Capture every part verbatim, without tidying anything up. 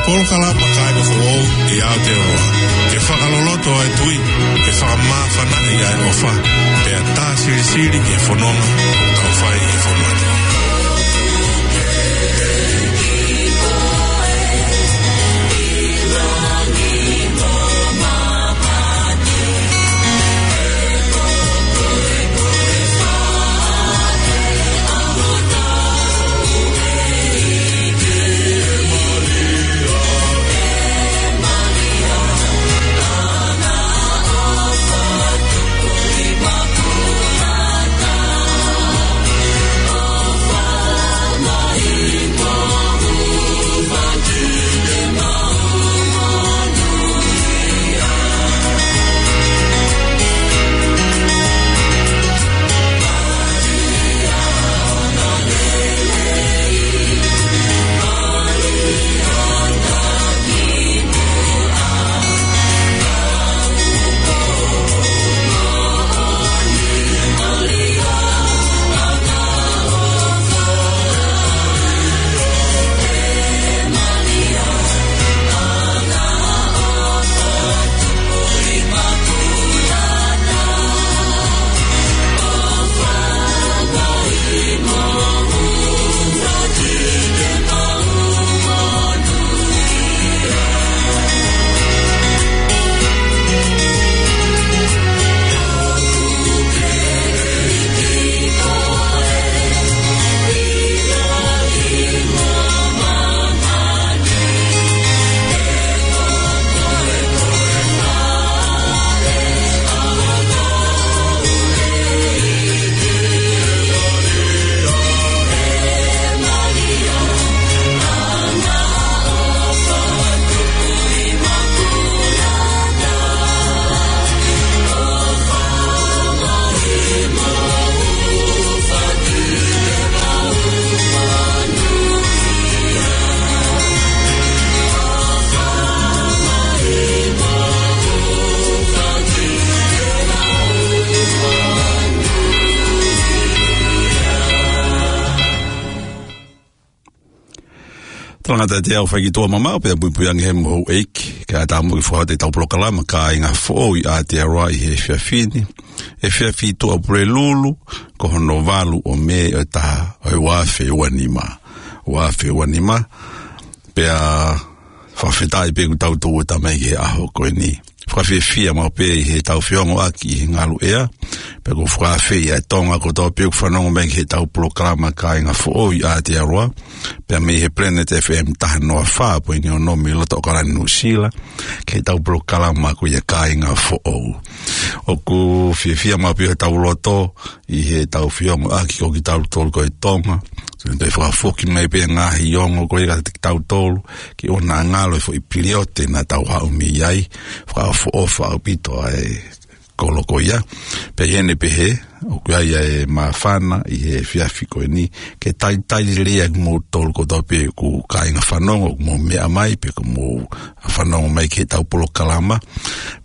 Polokalama Kāinga Foʻou ʻi Aotearoa. Ke fakaloloto ʻa e tui, ke fakamāfanaʻi ʻa e ʻofa, pea tā silisili ki he fononga ʻoku tau fai ʻi he fonua ni. Tangata te au fai ki tuʻa mamaʻo pea puipui ange he mohu ʻeiki. Kae ʻatā muʻa ke fakahoko ʻetau polokalama Kāinga Foʻou ʻi Aotearoa ʻi he efiafi ni. Efiafi Tuʻapulelulu, ko hono valu ʻo Mē ʻo e taha ʻo e ua afe ua nima. Ua afe ua nima. Pea fakafetaʻi pē kuo tau tuʻuta mai ki he ʻaho ko eni. Fakafiefia maʻu pē ʻi heʻetau feongoʻaki ʻi he ngalu ʻea. Pea ʻoku fakaafeʻi ʻa Tonga kotoa pē ʻoku fanongo mai ki heʻetau polokalama Kāinga Foʻou ʻi Aotearoa. Pea mei he Planet F M taha noa fā poini ono mei loto ʻAokalani Nuʻusila. Ki heʻetau polokalama ko ia Kāinga Foʻou. ʻOku fiefia maʻu pē ʻi hotau loto, ʻi heʻetau feongoʻaki ko kitautolu ko e Tonga. Toe fakafoki mai pē ngaahi ongo ko ia kiate kitautolu, ke ʻoua naʻa ngalo e foʻi piliote naʻa tau haʻu mei ai, fakaʻofoʻofa ʻaupito ʻa e kolo ko ia. Pea ʻi heʻene pehē, ʻoku ʻi ai ʻa e māfana ʻi he efiafi ko eni, ke talitali lelei ʻa kimoutolu kotoa pē ʻoku kāinga fanongo, ʻoku mou meʻa mai, pe ʻoku mou fanongo mai ki heʻetau polokalama,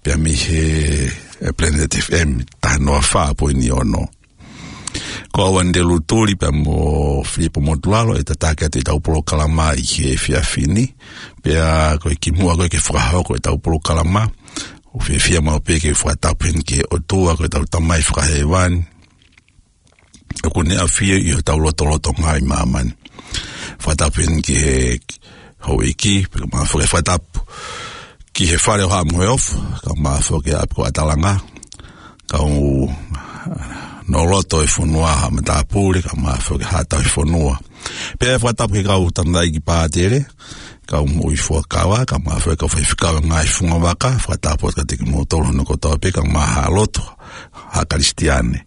pea mei he, e, Planet F M taha noa fā poini ono. Ko au Andelu Tuli pea mo Filipo Motulalo ʻe tataki atu ʻetau polokalama ʻi he efiafi ni. Pea ko e kimuʻa ko ē ke fakahoko ʻetau polokalama, ʻoku fiefia maʻu pē ke fakatapu heni ki he ʻOtua ko ʻetau Tamai Fakahēvani, ʻoku ne ʻafio ʻi hotau lotolotonga ʻi māmani. Fakatapu heni ki he houʻeiki, pea ka mafo ke fakatapu ki he Fale ʻo Haʻa Moheofo, ka mafo ki he ʻapi ko ʻAtalanga, kau noloto e fonua Haʻa Matāpule, ka mafo ki he Haʻa Tauhi Fonua. Pea fakatapu ki he kau tangataʻeiki pātele, kau moʻui fuakava, ka mafo ki he kau faifekau ngaahi fungavaka, fakatapu atu kiate kimoutolu hono kotoa pē, ka mahalo atu, Haʻa Kalisitiane.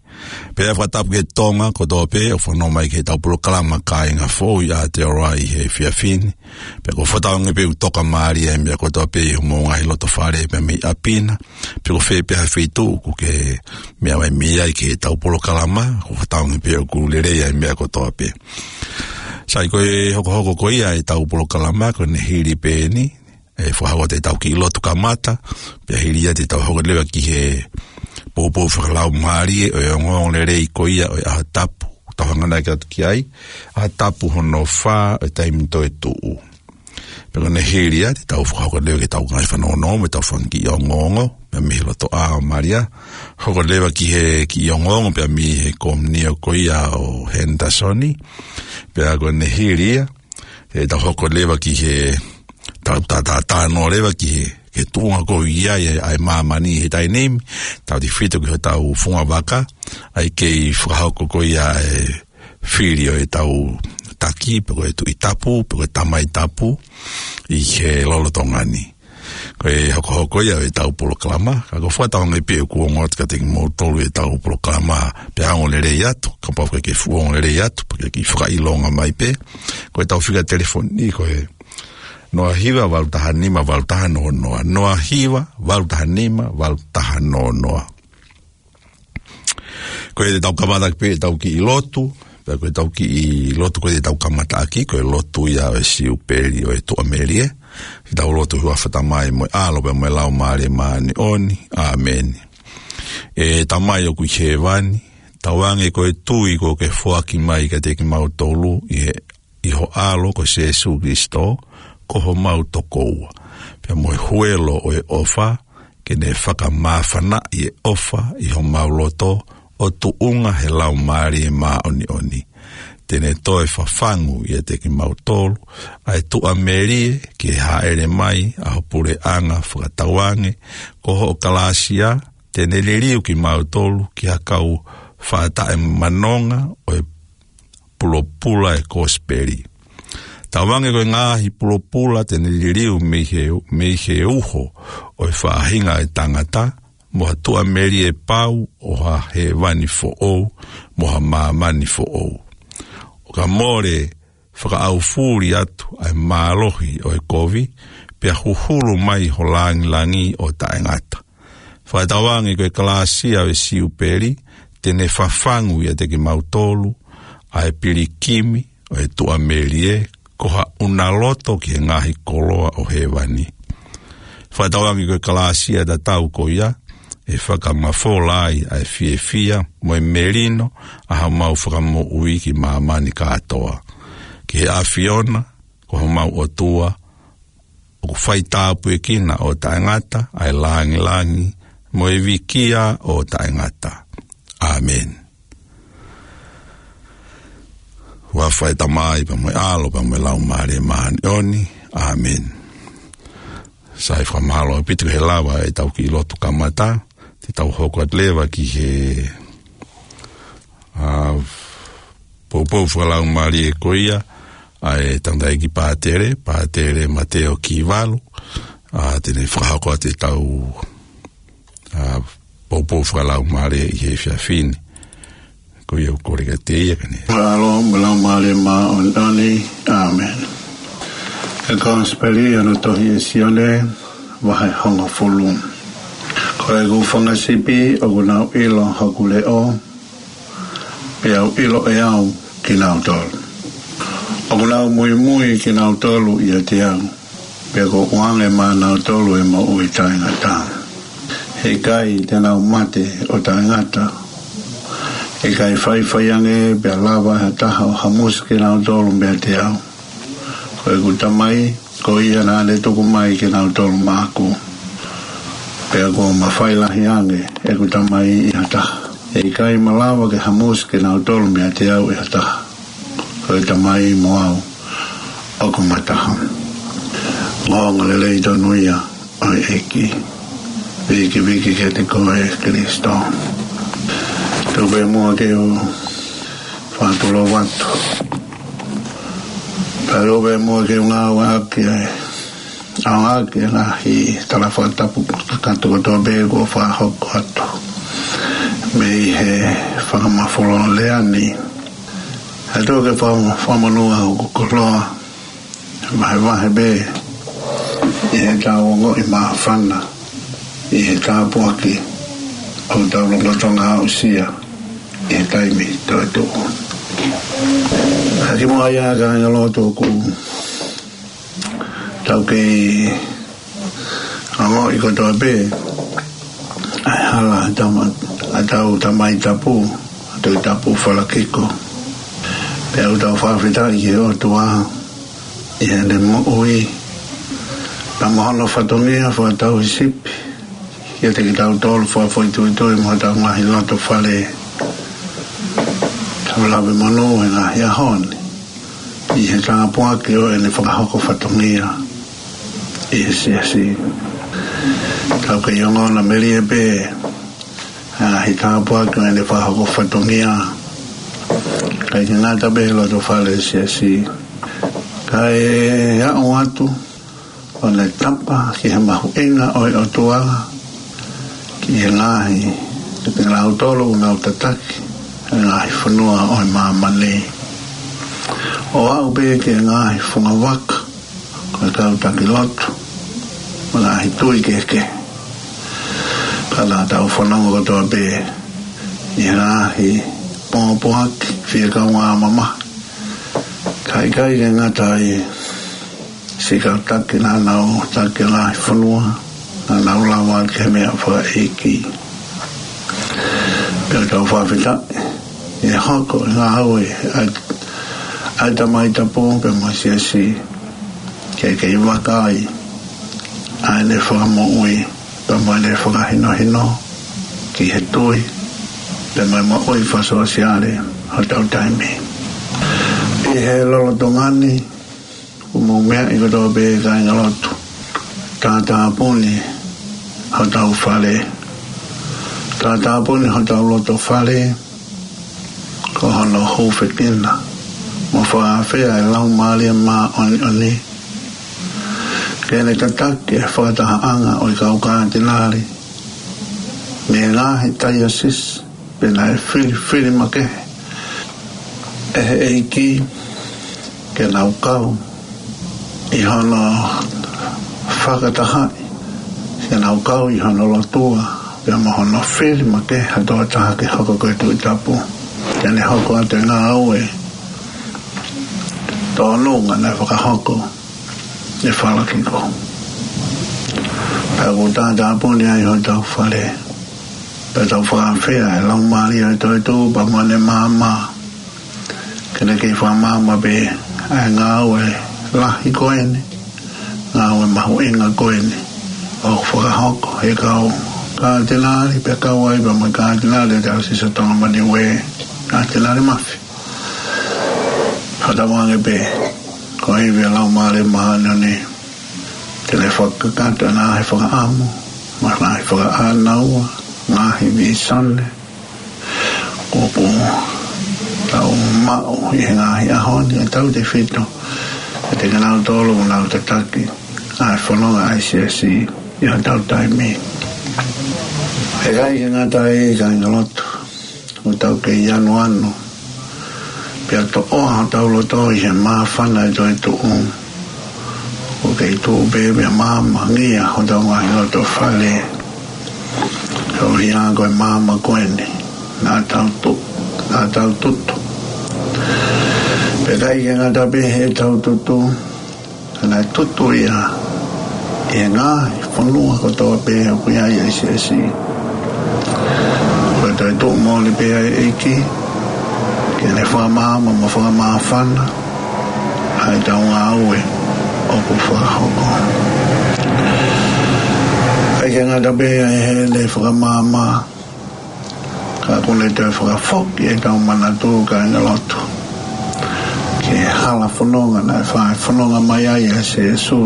Pea fakatapu ki he Tonga kotoa pē ʻoku fanongo mai ki heʻetau polokalama Kāinga Foʻou ʻi Aotearoa ʻi he efiafi ni. Pea ʻoku fakatauange pē ʻoku toka mālie e meʻa kotoa pē ʻi homou ngaahi loto fale pea mei ʻapi na. Pe ko fē pē ha feituʻu ʻoku ke meʻa mai mei ai ki heʻetau polokalama, ʻoku fakatauange pē ʻoku lelei ʻa e meʻa kotoa pē. Sai, ko e hokohoko ko ia ʻetau polokalama, ko ʻene hili pē eni, ʻe fakahoko atu ʻetau kiʻi lotu kamata, pea hili ia te tau hoko leva ki he poupou fakalaumālie ʻo e ongoongolelei ko ia ʻo e ʻaho tapu, tau hanganaki atu ki ai, ʻaho tapu hono fā ʻo e taimi toetuʻu. Pea ko ʻene hili ia, te tau fakahoko leva ki heʻetau ngaahi fanongonongo, mo ʻetau fanga kiʻi ongoongo, pea mei he lotoʻā ʻo Malia. Hoko leva ki he kiʻi ongoongo, pea mei he komiunio ko ia ʻo Henderson. Pea ko ʻene hili ia, te tau hoko leva ki he, tau ta, ta, talanoa leva ki he, ki he tuʻunga ko ia ʻa e, ʻa e māmani he taimi ni, tautefito ki hotau fungavaka, ʻa ia kei fakahoko ko ia e fili ʻo ʻetau taki, pe ko e Tuʻi Tapu, pe ko e Tamai Tapu, ʻi he lolotonga ni. Ko e hokohoko ia ʻo ʻetau polokalama, ka ko e fakatātā ange pē ʻoku ongo atu kiate kimoutolu ʻetau polokalama, pea ongo lelei atu, kapau ʻoku ke fuʻu ongo lelei atu, pea ke kiʻi fakaʻilonga mai pē, ko ʻetau fika telefoni, ko e noa hiva valu taha nima valu taha noa noa, noa hiva valu taha nima valu taha noa noa. Ko ia te tau kamataʻaki pē ʻetau kiʻi lotu, pea ko ʻetau kiʻi lotu ko ia te tau kamataʻaki, ko e lotu ia ʻo e Siupeli ʻo e Tuʻamelie. Te tau lotu. ʻI he huafa ʻo e Tamai mo e ʻAlo pea mo e Laumālie Māʻoniʻoni. ʻĀmeni. ʻE Tamai ʻoku ʻi hēvani, tauange ko e tui kuo ke foaki mai kiate kimautolu ʻi he ʻi ho ʻAlo ko Sēsū Kilisitō, ko homau tokoua. Pea mo e huelo ʻo e ʻofa, ke ne fakamāfanaʻi e ʻofa ʻi homau loto, ʻo tuʻunga he Laumālie Māʻoniʻoni. Te ne toe fafangu ʻiate kimautolu ʻa e Tuʻamelie, ke hāʻele mai ʻa ho puleʻanga fakatauange, ko hoʻo kalāsia, te ne liliu kimautolu ki ha kau faʻa taʻemanonga ʻo e pulopula e Kosipeli. Tauange ko e ngaahi pulopula te ne liliu mei he, mei he uho ʻo e faʻahinga ʻo e tangata, mo ha Tuʻamelie pau ʻo ha hēvani foʻou, mo ha māmani foʻou. ʻO ka mole fakaʻaufuli atu ʻa e mālohi ʻo e kovi, pea huhulu mai ho langilangi ʻo taʻengata. Fakatauange ko e kalāsia ʻo e Siupeli, te ne fafangu ʻiate kimautolu ʻa e pilikimi ʻo e Tuʻamelie, ko ha ʻunaloto ki he ngaahi koloa ʻo hēvani. Fakatauange ko e kalāsia tatau ko ia, ʻe fakamafola ai ʻa e fiefia mo e melino ʻa homau Fakamoʻui ki māmani kātoa. Ki he ʻAfiona, ko homau ʻOtua, ʻoku faitāpuekina ʻo taʻengata ʻa e langilangi mo e vikia ʻo taʻengata. ʻĀmeni. Huafa ʻo e Tamai pea mo e ʻAlo pea mo e Laumālie Māʻoniʻoni. ʻĀmeni. Sai, fakamālō ʻaupito he lava ʻetau kiʻi lotu kamata, te tau hoko atu leva ki he, ʻa, poupou fakalaumālie ko ia ʻa e tangataʻeiki pātele, Pātele Mateo Kivalu, ʻa, te ne fakahoko atu ʻetau, ʻa, poupou fakalaumālie ʻi he efiafi ni. Ko ia ʻoku ou kole kiate ia ke ne. ʻAlo mo e Laumālie Māʻoniʻoni. ʻĀmeni. ʻE Kosipeli ʻa hono tohi ʻe Sione, vahe hongofulu. Ko ʻeku fanga sipi ʻoku nau ʻilo hoku leʻo, pea ʻoku ʻilo ʻe au kinautolu. ʻOku nau muimui kinautolu ʻiate au, pea ʻoku ou ʻoange maʻanautolu ʻa e moʻui taʻengata. He ʻikai te nau mate ʻo taʻengata. ʻIkai faifai ange pea lava ʻe ha taha ʻo hamusi kinautolu meiate au. Ko ʻeku Tamai, ko ia naʻa ne tuku mai kinautolu maʻaku. Pea kuo mafai lahi ange ʻeku Tamai ʻi ha taha. ʻE ʻikai malava ke hamusi kinautolu meiate au ʻe ha taha. Ko e Tamai mo au ʻoku ma taha. Ongoongolelei tonu ia ʻo e ʻEiki. Vikiviki kiate koe Kilisitō. Tuku pē muʻa ke u fakatulou atu. Pea tuku pē muʻa ke u ngāueʻaki ʻa e, ʻaonga ʻaki ʻa e ngaahi tala fakatapu kakato kotoa pē kuo fakahoko atu mei he fakamafola lea ni. ʻE ʻOtua, ke faka-, fakamonū ʻa hoku koloa, vahevahe pē ʻi heʻetau ongoʻi māfana, ʻi he tāpuaki ʻoku tau lolotonga aʻusia ʻi he taimi toetuʻu. Ka kimuʻa ia, kāinga lotu, ʻoku tau kei ongoʻi kotoa pē ʻa e hala ʻa e tama-, ʻa ʻetau Tamai Tapu, ʻa e Tuʻi Tapu Falakiko. Pea ʻoku tau fakafetaʻi ki he ʻOtua ʻi heʻene moʻui, Ka mo hono fatongia fakatauhisipi kiate kitautolu fakafoʻituitui mo hotau ngaahi loto fale. Tau lave monū he ngaahi ʻaho ni ʻi he tāpuaki ʻo ʻene fakahoko fatongia ʻi he siasi. Tau kei ongona melie pē ʻa e ngaahi tāpuaki ʻo ʻene fakahoko fatongia, ʻikai ke ngata pē he loto fale siasi, kae aʻu atu ʻo ne tapa ki he mahuʻinga ʻo e ʻOtua ki he ngaahi, ki kinautolu ʻoku nau tataki ʻa e ngaahi fonua ʻo e māmani. ʻO aʻu pē ki he ngaahi fungavaka, ko e kau taki lotu, mo e ngaahi tui kehekehe. Ka naʻa tau fanongo kotoa pē ʻi he ngaahi pōpoaki fie kaungā mamahi. Ka ʻikai ke ngata ai, siʻi kau taki naʻa nau taki ʻa e ngaahi fonua, naʻa nau lava ki he meʻa fakaʻeiki. Pea tau fakafetaʻi ʻi he hoko ʻa e ngāue ʻa e, ʻa e Tamai Tapu pea mo e siasi, ke kei vakai ʻa ʻene fakamoʻui pea mo ʻene fakahinohino ki he tui pea mo e moʻui fakasōsiale hotau taimi. ʻI he lolotonga ni, ʻoku mou meaʻi kotoa pē kāinga lotu, tātāpuni hotau fale, tātāpuni hotau loto fale, ko hono hūfekina mo fakaafeʻi ʻa e Laumālie Māʻoniʻoni ke ne tataki ʻa e fakatahaʻanga ʻo e kau kātinali mei he ngaahi taiosisi pea naʻe filifili makehe ʻe he ʻEiki ke nau kau ʻi hono fakatahaʻi, ke nau kau ʻi hono lotua pea mo hono fili makehe ha tokotaha ke hoko ko e Tuʻi Tapu, ke ne hoko atu e ngāue tōnunga naʻe fakahoko ʻe Falakiko. Pea ʻoku tātāpuni ai hotau fale, pea tau fakaafeʻi ʻa e Laumālie ʻo e toetuʻu pea mo ʻene maama, ke ne kei fakamaama pē ʻa e ngāue lahi ko eni, ngāue mahuʻinga ko eni ʻoku fakahoko ʻe he kau kātinali, pea kau ai pea mo e kātinali ʻo e Taiosisi ʻo Tonga mo Niue, Kātinali Mafi. Fakatauange pē ko e ivi ʻa e Laumālie Māʻoniʻoni te ne fakakakato ʻa e ngaahi fakaʻamu, mo e ngaahi fakaʻānaua, ngaahi vīsone ʻoku tau maʻu ʻi he ngaahi ʻaho ni, ʻa e tautefito kiate kinautolu ʻoku nau tataki ʻa e fononga ʻa e siasi ʻi hotau taimi. ʻIkai ke ngata ai, kāinga lotu, ʻoku tau kei anuanu pea toʻoa hotau loto ʻi he māfana ʻo e toetuʻu. ʻOku kei tuʻu pē pea maamangia hotau ngaahi loto fale, koeʻuhi ko e maama ko eni naʻa tau tu-, naʻa tau tutu. Pea ʻikai ke ngata pē heʻetau tutu, ka naʻe tutu ia ʻi he ngaahi fonua kotoa pē ʻoku ʻi ai ʻa e siasi. Ko e toetuʻu moʻoni pē ʻa e ʻEiki ke ne fakamaama mo fakamāfana ʻa ʻetau ngāue ʻoku fakahoko. ʻIkai ke ngata pē ʻi heʻene fakamaama, ka ʻoku ne toe fakafoki ʻetau manatu, kāinga lotu, ki he hala fononga naʻe fai fononga mai ai ʻa Sīsū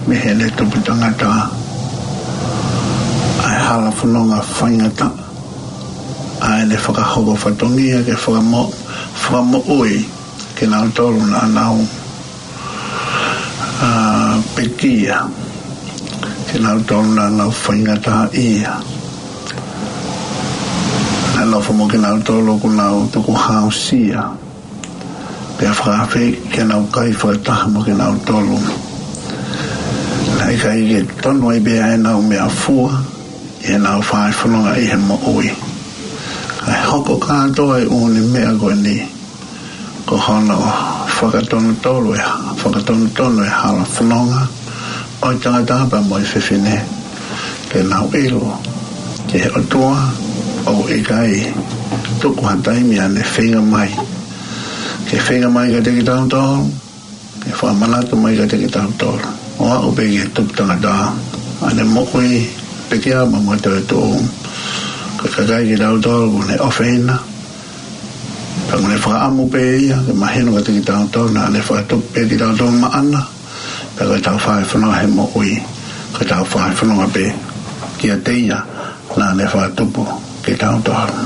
mei heʻene tupu tangata. ʻA e hala fononga faingataʻa ʻa ʻene fakahoko fatongia ke fakamo-, fakamoʻui kinautolu naʻa nau, ā, pekia, kinautolu naʻa nau faingataʻaʻia. Naʻe nofo mo kinautolu ʻoku nau tukuhāusia, pea fakaafeʻi ke nau kai fakataha mo kinautolu. Naʻe ʻikai ke tonu ai pē ʻa ʻenau meʻafua ʻi heʻenau fai fononga ʻi he moʻui. Kae hoko kātoa e ʻū meʻa ko eni ko hono fakatonutonu e, fakatonutonu e hala fononga ʻo e tangata pea mo e fefine, ke nau ʻilo ki he ʻOtua ʻoku ʻikai tuku ha taimi ʻa ʻene feinga mai, ke feinga mai kiate kitautolu, ke fakamanatu mai kiate kitautolu ʻo aʻu pē ki he tupu tangata, ʻa ʻene moʻui pē ki ai mo e toetuʻu. Ko e kakai kitautolu ʻoku ne ʻofeina, pea ʻoku ne fakaʻamu pē ia ke mahino kiate kitautolu naʻa ne fakatupu pē kitautolu maʻana, pea ko ʻetau fai fononga he moʻui, ko ʻetau fai fononga pē kiate ia naʻa ne fakatupu kitautolu.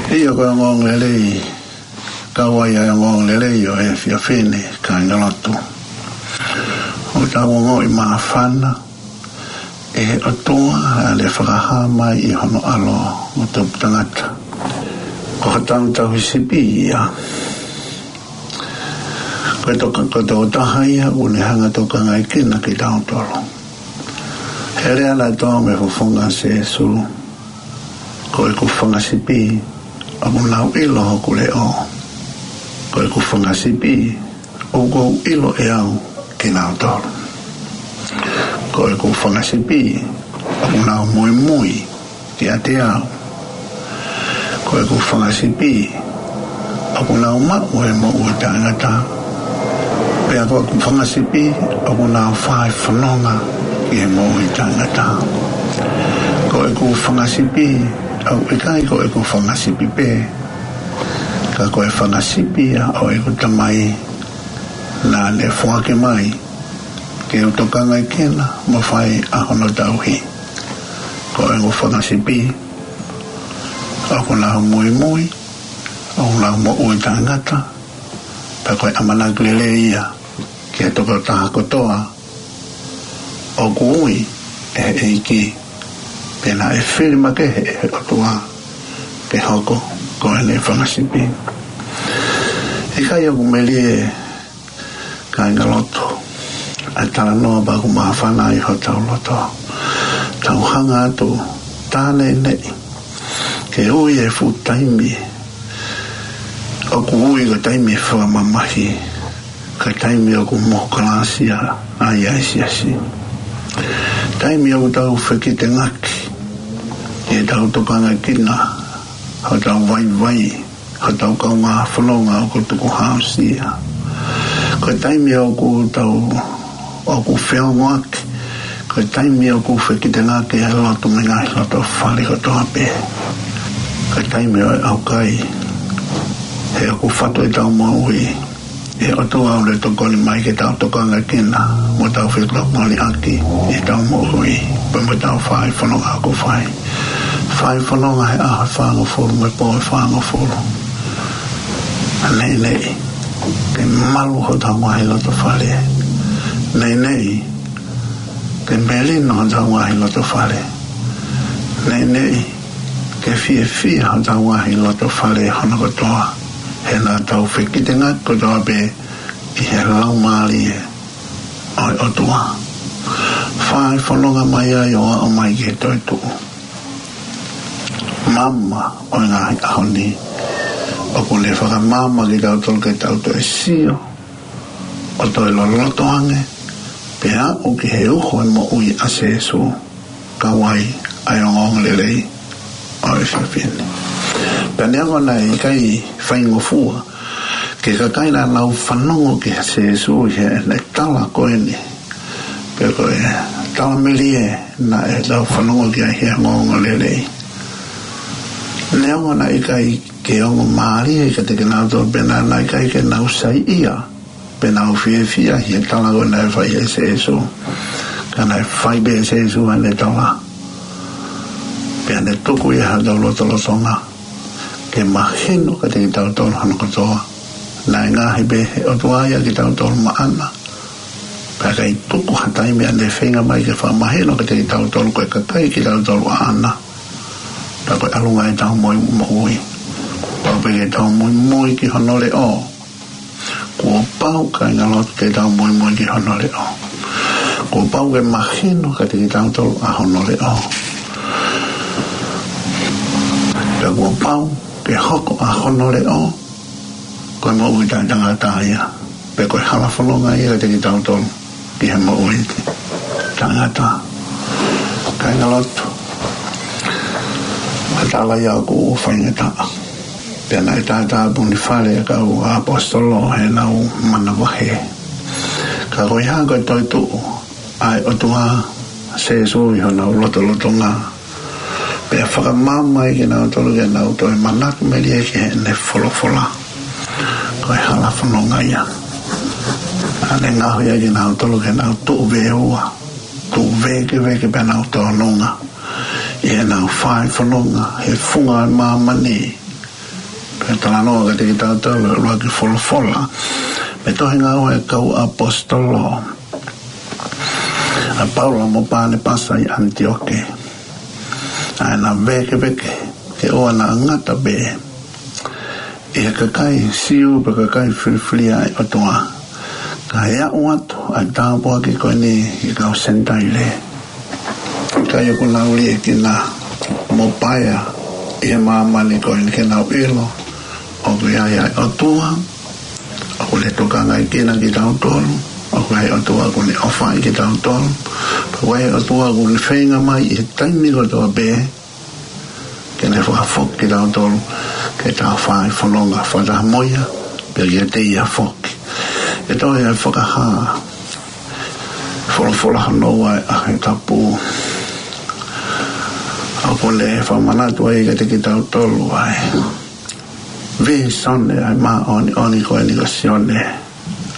ʻIo, ko e ongoongolelei, kau ai ʻa e ongoongolelei ʻo e efiafi ni, kāingalotu, ʻoku tau ongoʻi māfana ʻi he ʻOtua naʻa ne fakahā mai ʻi hono ʻAlo ʻo tupu tangata. Ko hotau Tauhi Sipi ia. Ko e toka-, ko e tokotaha ia ʻoku ne hanga ʻo tokangaekina kitautolu. He lea naʻe toʻo mei he fofonga ʻo Sīsū: Ko ʻeku fanga sipi ʻoku nau ʻilo hoku leʻo. Ko ʻeku fanga sipi ʻoku ou ʻilo ʻe au kinautolu. Ko ʻeku fanga sipi ʻoku nau muimui kiate au. Ko ʻeku fanga sipi ʻoku nau maʻu e moʻui taʻengata. Pea ko ʻeku fanga sipi ʻoku nau fai fononga ki he moʻui taʻengata. Ko ʻeku fanga sipi ʻoku ʻikai ko ʻeku fanga sipi pē, ka ko e fanga sipi ia ʻo ʻeku Tamai naʻa ne foaki mai ke u tokangaekina mo fai ʻa hono tauhi. Ko ʻeku fanga sipi ʻoku nau muimui, ʻoku nau moʻui taʻengata, pea ko e ʻamanaki lelei ia ki he tokotaha kotoa ʻoku ui ʻe he ʻEiki, pea naʻe fili makehe ʻe he ʻOtua ke hoko ko ʻene fanga sipi. ʻIkai ʻoku melie, kāingalotu, ʻa e talanoa pea ʻoku māfana ai hotau loto? Tau hanga atu tā neʻineʻi ke ui e fuʻu taimi ʻoku ui ko e taimi fakamamahi, ko e taimi ʻoku mohu kalāsia ai ʻa e siasi. Taimi ʻoku tau fekitengaki ke tau tokangaekina hotau vaivai, hotau kaungā fononga ʻoku tukuhāusia. Ko e taimi ʻoku tau, ʻoku feongoaki, ko e taimi ʻoku fekitengaki ʻa e lotu mei he ngaahi loto fale kotoa pē. Ko e taimi ʻo e ʻaukai, he ʻoku fatu ʻetau moʻui ʻe he ʻOtua ʻoku ne tokoni mai ke tau tokangaekina mo tau fetokoniʻaki ʻetau moʻui pea mo ʻetau fai fononga ʻoku fai. Fai fononga he ʻaho ʻe fāngofulu mo e pō ʻe fāngofulu. Neʻineʻi ke malu hotau ngaahi loto fale. Neʻineʻi ke melino hotau ngaahi loto fale. Neʻineʻi ke fiefia hotau ngaahi loto fale hono kotoa, he naʻa tau fekitengaki kotoa pē ʻi he Laumālie ʻo e ʻOtua. Fai fononga mai ai ʻo aʻu mai ki he toetuʻu. Maama ʻo e ngaahi ʻaho ni, ʻoku ne fakamaama kitautolu ke tau toe sio ʻo toe loloto ange, pea aʻu ki he uho e moʻui ʻa Sīsū, kau ai ʻa e ongoongolelei ʻo e efiafi ni. Pea neongo naʻe ʻikai faingofua ki he kakai naʻa nau fanongo kia Sīsū ʻi heʻene tala ko eni, pe ko e tala melie naʻa nau fanongo ki ai he ongoongolelei. Neongo naʻe ʻikai ke ongo mālie kiate kinautolu, pea naʻe ʻikai ke nau saiʻia, pe nau fiefia ʻi he tala ko ē naʻe fai ʻe Sīsū. Ka naʻe fai pē ʻe Sīsū ʻene tala, pea ne tuku ia hotau lotolotonga ke mahino kiate kitautolu hono kotoa naʻe ngaohi pē ʻe he ʻOtua ia kitautolu maʻana. Pea ʻikai tuku ha taimi ʻa ʻene feinga mai ke fakamahino kiate kitautolu ko e kakai kitautolu ʻaʻana. Pea ko e ʻalunga ʻetau moʻui, moʻui, pau pē ke tau muimui ki hono leʻo. Kuo pau, kāingalotu, ke tau muimui ki hono leʻo. Kuo pau ke mahino kiate kitautolu ʻa hono leʻo. Pea kuo pau ke hoko ʻa hono leʻo ko e moʻui taʻetangata ia, pe ko e hala fononga ia kiate kitautolu ki he moʻui taʻengata. Kāingalotu, ko e tala ia ʻoku faingataʻa. Pea naʻe tātāpuni fale ʻa e kau ʻaposetolo heʻenau manavahē. Ka Ka ko e hā? Ko e toetuʻu ʻa e ʻOtua, Sēsū ʻi honau lotolotonga, pea fakamaama ai kinautolu ke nau toe manatu melie ki heʻene folofola. Ko e hala fononga ia. ʻA ʻene ngaohi ai kinautolu ke nau tuʻu veua, tuʻu vēkeveke pea nau tōnunga ʻi heʻenau fai fononga he funga ʻo e māmani. Pea talanoa kiate kitautolu ʻa e ʻuluaki folofola mei he tohi Ngāue ʻa e Kau ʻAposetolo, ʻa Paula mo Panepasa ʻi ʻAniteoke. ʻA ʻena vēkeveke ke ʻoua naʻa ngata pē ʻi he kakai Siu pe kakai filifilia ʻa e ʻOtua, ka ʻe aʻu atu ʻa e tāpuaki ko eni ki he kau Senitaile. ʻIkai ʻoku nau liʻekina mo paea ʻi he māmani ko eni ke nau ʻilo ʻoku ʻi ai ʻa e ʻOtua, ʻoku ne tokangaekina kitautolu, ʻoku ʻi ai ʻa e ʻOtua ʻoku ne ʻofa ai kitautolu, pea ʻoku ʻi ai ʻa e ʻOtua ʻoku ne feinga mai ʻi he taimi kotoa pē ke ne fakafoki kitautolu ke tau fai fononga fakataha mo ia, pea kiate ia foki. ʻE toe ʻi ai e fakahā, folofola hono ua ʻa e ʻaho tapu, ʻoku ne fakamanatu ai kiate kitautolu ʻa e vīsone ʻa e māʻoniʻoni ko eni ko Sione,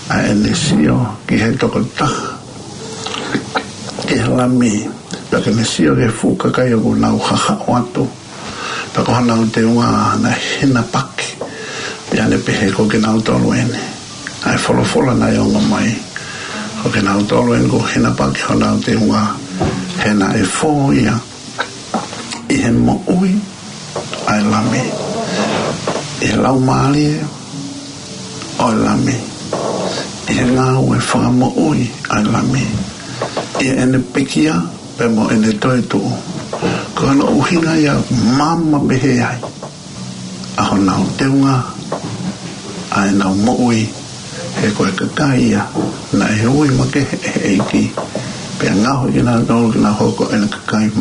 ʻa ʻene sio ki he tokotaha, ki he Lami, pea ke ne sio ki he fuʻu kakai ʻoku nau hahaʻo atu, pea ko honau teunga naʻe hinapaki, pea ne pehē ko kinautolu eni. ʻA e folofola naʻe ongo mai, ko kinautolu eni kuo hinapaki honau teunga, he naʻe fō ia ʻi he moʻui ʻa e Lami, ʻi he laumālie ʻo e Lami, ʻi he ngāue fakamoʻui ʻa e Lami, ʻi heʻene pekia pea mo ʻene toetuʻu. Ko hono ʻuhinga ia ʻoku maama pehē ai ʻa honau teunga, ʻa ʻenau moʻui, he ko e kakai ia naʻe ui makehe ʻe he ʻEiki, pea ngaohi kinautolu ke nau hoko ko ʻene kakai,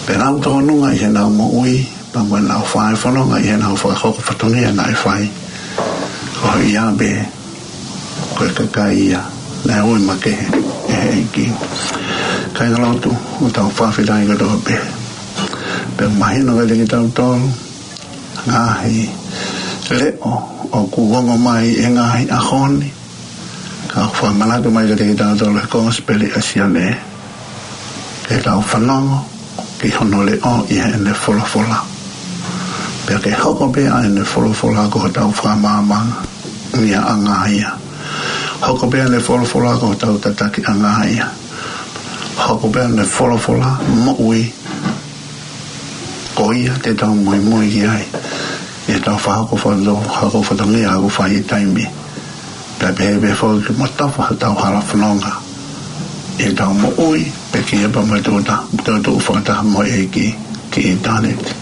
pea nau tōnunga ʻi heʻenau moʻui, pea mo ʻenau fai fononga ʻi heʻenau fakahoko fatongia naʻe fai. Ko ia pē, ko e kakai ia naʻe ui makehe ʻe he ʻEiki. Kāingalotu, ʻoku tau fakafetaʻi kotoa pē. Pea mahino kiate kitautolu ngaahi leʻo ʻoku ongo mai he ngaahi ʻaho ni, ka ʻoku fakamanatu mai kiate kitautolu ʻe he Kosipeli ʻa Sione ke tau fanongo ki hono leʻo ʻi heʻene folofola. Pea ke hoko pē ʻa ʻene folofola ko hotau fakamaamangaʻia ia. Hoko pē ʻa ʻene folofola ko hotau tatakiʻanga ia. Hoko pē ʻa ʻene folofola moʻui, ko ia te tau muimui ki ai ʻi heʻetau fakahoko fato-, hoko fatongia ʻoku fai he taimi. Pea pehē pē foki ke matafa hotau hala fononga ʻi heʻetau moʻui, pekia pea mo e toetuʻu, toetuʻu fakataha mo e ʻEiki ki ʻitāniti.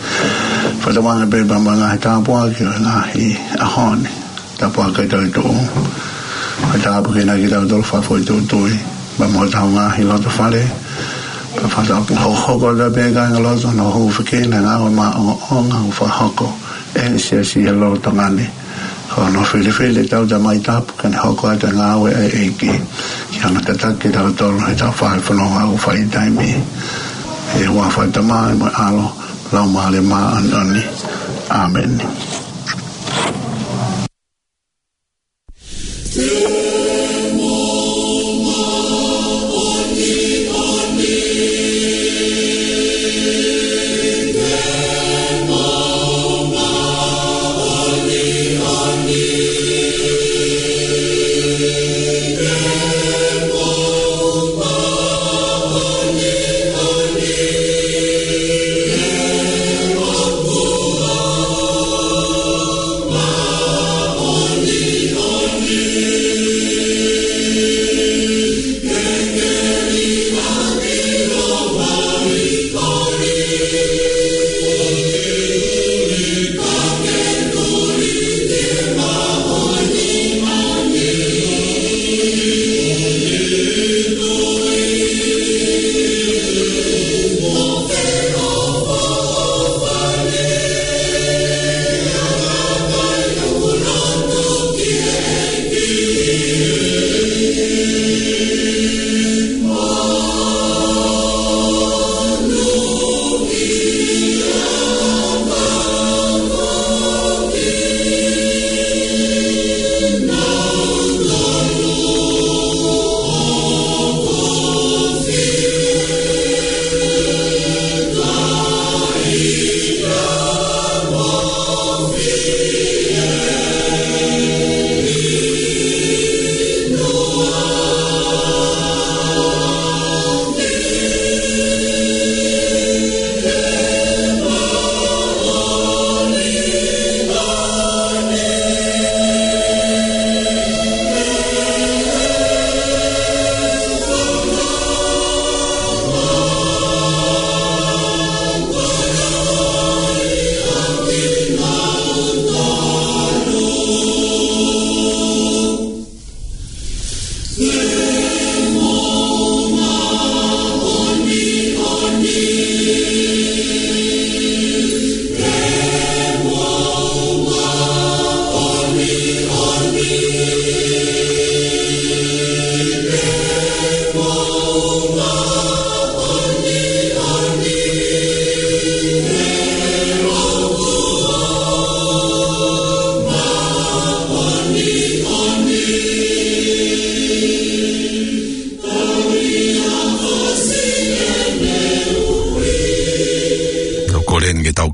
Fakatauange pē pea mo e ngaahi tāpuaki ʻo e ngaahi ʻaho ni, tāpuaki toetuʻu. Fakatapui kinautolu fakafoʻituitui pea mo hotau ngaahi lotofale. Pea fakatapui hokohoko atu pē kāingalotu hono hūfekina e ngāue maʻongoʻonga ʻoku fakahoko ʻe he Siasi he lolotonga ni. Ko hono filifili ʻetau Tamai Tapu ke ne hoko atu e ngāue ʻa e ʻEiki, ke ne tataki kitautolu heʻetau fai fononga ʻoku fai he taimi. ʻI he huafa ʻo e Tamai mo e ʻAlo, Laumālie Māʻoniʻoni. ʻĀmeni.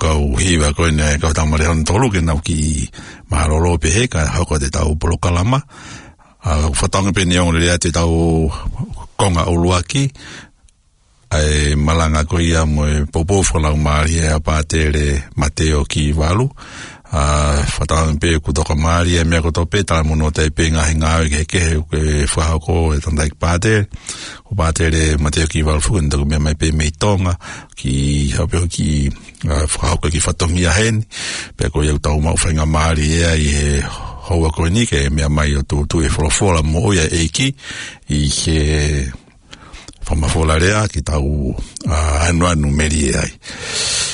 ʻetau hiva ko eni ʻa e kau tamarii hono tolu ke nau kiʻi mālōlō pē he ka hoko atu ʻetau polokalama. ʻA, fakatauange pē ʻe ongo lelei atu ʻetau konga ʻuluaki, ʻa e malanga ko ia mo e poupou fakalaumālie ʻa Pātele Mateo Kivalu. ʻA, fakatauange pē kuo toka mālie ʻa e meʻa kotoa pē, talamonū atu ai pē ngaahi ngāue kehekehe ʻoku fakahoko ʻe he tangataʻeiki pātele. Ko Pātele Mateo Kivalu foki ʻoku ne toki meʻa mai pē mei Tonga, kiʻi haʻu pē ʻo kiʻi, ʻa, fakahoko e kiʻi fatongia heni. Pea ko ia ʻoku tau maʻu faingamālie ai he houa ko eni ke meʻa mai ʻo tūtuuʻi e folofola moʻui ʻa e ʻEiki ʻi he fakamafola lea ke tau, ʻa, anuanu melie ai.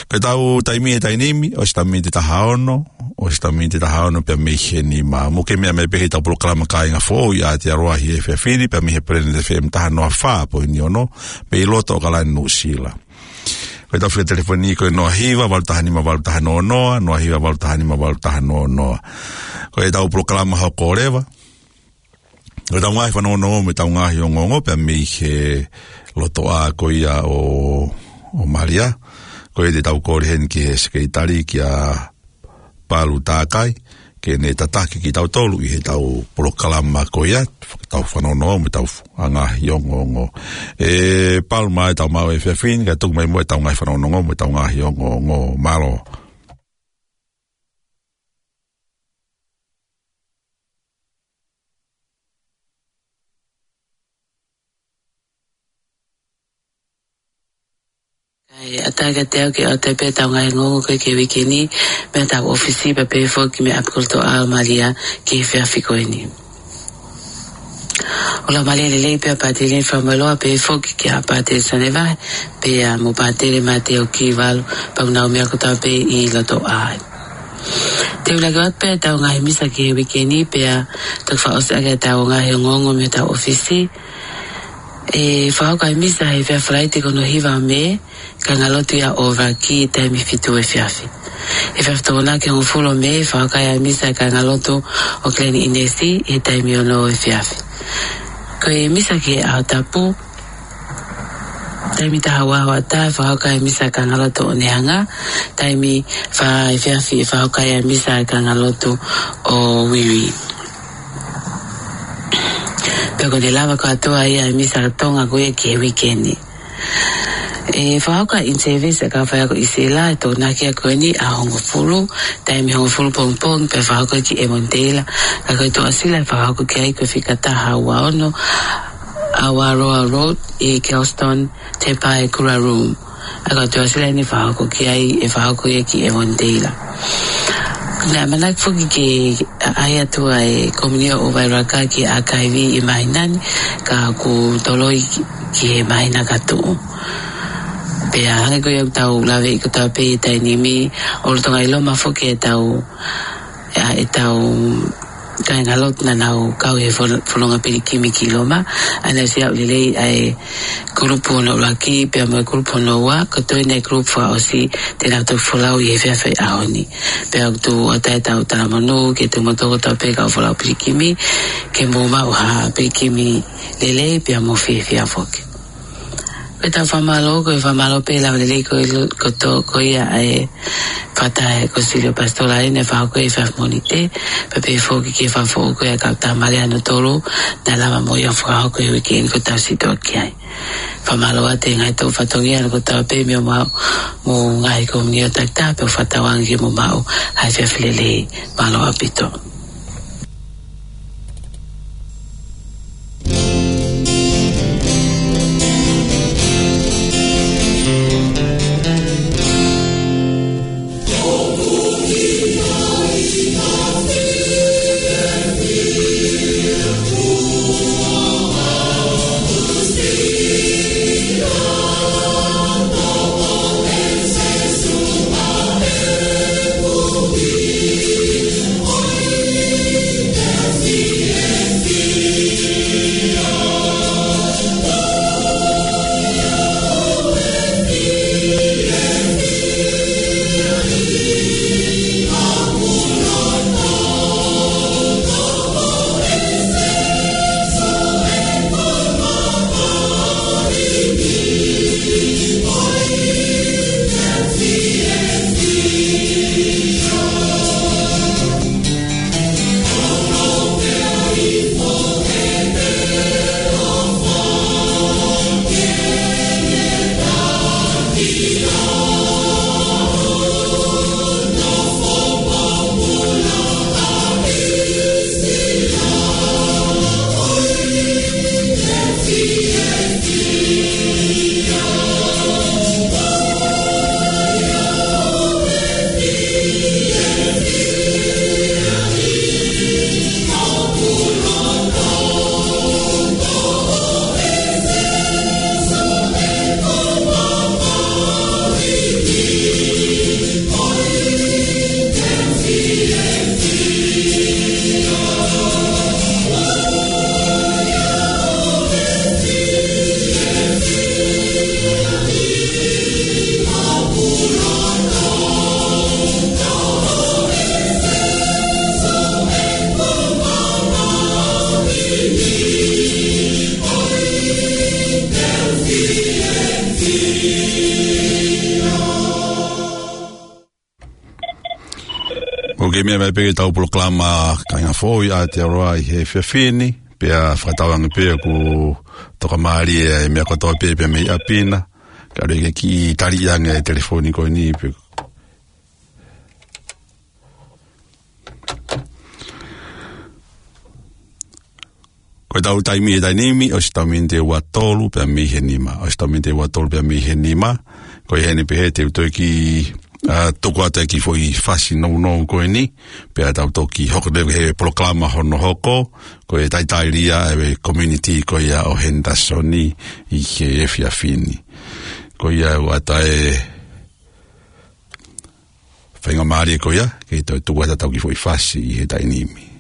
Ko ʻetau taimi he taimi ni, ʻosi ʻetau miniti taha ono, ʻosi ʻetau miniti taha ono pea mei heni mā. Mou kei meʻa mai pē heʻetau polokalama Kāinga Foʻou ʻi Aotearoa he efiafi ni, pea mei he Planet F M taha noa fā poini ono, mei loto ʻAokalani, Nuʻusila. Ko ʻetau fika telefoni ko e noa hiva valu taha nima valu taha noa noa, noa hiva valu taha nima valu taha noa noa. Ko ʻetau polokalama Hoko ʻo Leva. Ko ʻetau ngaahi fanongonongo mo ʻetau ngaahi ongoongo pea mei he lotoʻā ko ia ʻo, ʻo Malia. Ko ia te tau kole heni ki he sekelitali kia Palu Takai, ke ne tataki kitautolu ʻi heʻetau polokalama ko ia, ʻetau fanongonongo mo ʻetau ngaahi ongoongo. ʻE Palu, mālō e tau maʻu e efiafi ni, kae tuku mai muʻa ʻetau ngaahi fanongonongo mo ʻetau ngaahi ongoongo. Mālō. Kae ʻatā kiate au ke ʻoatu pē ʻetau ngaahi ongoongo ko ē ki he uike ni, mei heʻetau ʻōfisi pea pehē foki mei ʻapi ko loto ʻa Malia ki he efiafi ko eni. ʻOku laumālie lelei pē ʻa Pātele Faumueloa pehē foki kia Pātele Sonevahe, pea mo Pātele Mateo Kivalu, pea mo e ngaahi meʻa kotoa pē ʻi lotoʻā. Te u lave atu pē ʻetau ngaahi misa ki he uike ni, pea toki fakaʻosi ʻaki ʻetau ngaahi ongoongo mei heʻetau ʻōfisi. ʻE fakahoko ʻa e misa he efiafi Falaite ko hono hiva ʻo Mē, kāingalotu ia ʻo Vaki, taimi fitu efiafi. He efiafi Tokonaki hongofulu ʻo Mē, fakahoko ʻa e misa he kāingalotu ʻo Kileni ʻInesi, he taimi ono efiafi. Ko e misa ki he ʻaho tapu, taimi taha ua hoʻatā, fakahoko ʻa e misa he kāingalotu ʻo Neanga, taimi fā efiafi, fakahoko ʻa e misa he kāingalotu ʻo Uiui. Pea ko e lava kātoa ia ʻa e misa Tonga ko ia ki he uike ni. ʻE fakahoko ʻa e in-service ʻa e kau faiako ʻi Sila, ʻe Tokonaki ia ko eni ʻaho hongofulu, taimi hongofulu pongipongi, pea fakahoko ia ki ʻEmoniteila. Ka ko e Tuʻasila ʻe fakahoko ki ai ko e fika taha ua ono, Awaroa Road, ʻi Kelston, Te Pae Kura Room. ʻA ia ko e Tuʻasila eni ʻe fakahoko ki ai, ʻe fakahoko ia ki ʻEmoniteila. Naʻe ʻamanaki foki ke ʻai atu ʻa e komiunio ʻo Vairaka ki he ʻakaivi ʻi he māhina ni, ka kuo toloi ki, ki he māhina ka tuʻu. Pea hangē ko ia ʻoku tau lave ʻi kotoa pē he taimi ni, ʻoku lolotonga ʻi Loma foki ʻetau, ʻa, ʻetau kāingalotu naʻa nau kau he fol-, fononga pilikimi ki Loma, ʻa ia naʻe ʻosi aʻu lelei ʻa e kulupu hono ʻuluaki, pea mo e kulupu hono ua, ko e toe eni ʻa e kulupu fakaʻosi te nau toki folau ʻi he efiafi ʻaho ni. Pea ʻoku tuʻu atu ʻetau talamonū kiate kimoutolu kotoa pē kau folau pilikimi, ke mou maʻu ha pilikimi lelei, pea mo fiefia foki. Ko ʻetau fakamālō, ko e fakamālō pē lava lelei ko e lo-, ko tō, ko ia ʻa e fakataha ʻa e Kōsilio Pasitolale naʻe fakahoko he efiafi Mōnite, pea pehē foki ki he fakafoʻou ko ia ʻa e kau tamarii hono tolu, naʻe lava mo ia ʻo fakahoko he uike ni kuo tau situʻa ki ai. Fakamālō atu he ngaahi toʻu fatongia kotoa pē mei homau, mo e ngaahi komiunio takitaha pē ʻoku fakatauange ke mou maʻu ha efiafi lelei. Mālō ʻaupito. ʻOku ke meʻa mai pē ki heʻetau polokalama Kāinga Foʻou ʻi Aotearoa ʻi he efiafi ni, pea fakatauange pē ʻoku tokamālie e meʻa kotoa pē pea mei ʻapi na. Ka ʻoku ke kiʻi tali ange e telefoni ko eni pē. Ko ʻetau taimi he taimi ni, ʻosi ʻetau miniti ʻe ua tolu pea mei he nima. ʻOsi ʻetau miniti ʻe ua tolu pea mei he nima. Ko ia heni pē he te u toe kiʻi, ā, tuku atu e kiʻi foʻi fasi nounou ko eni. Pea tau toki hoko leva he polokalama hono hoko. Ko e talitali ia ʻa e community ko ia ʻo Henderson ʻi he efiafi ni. Ko ia ʻoku ʻatā e faingamālie ko ia, ke toe tuku atu ʻetau kiʻi foʻi fasi ʻi he taimi ni.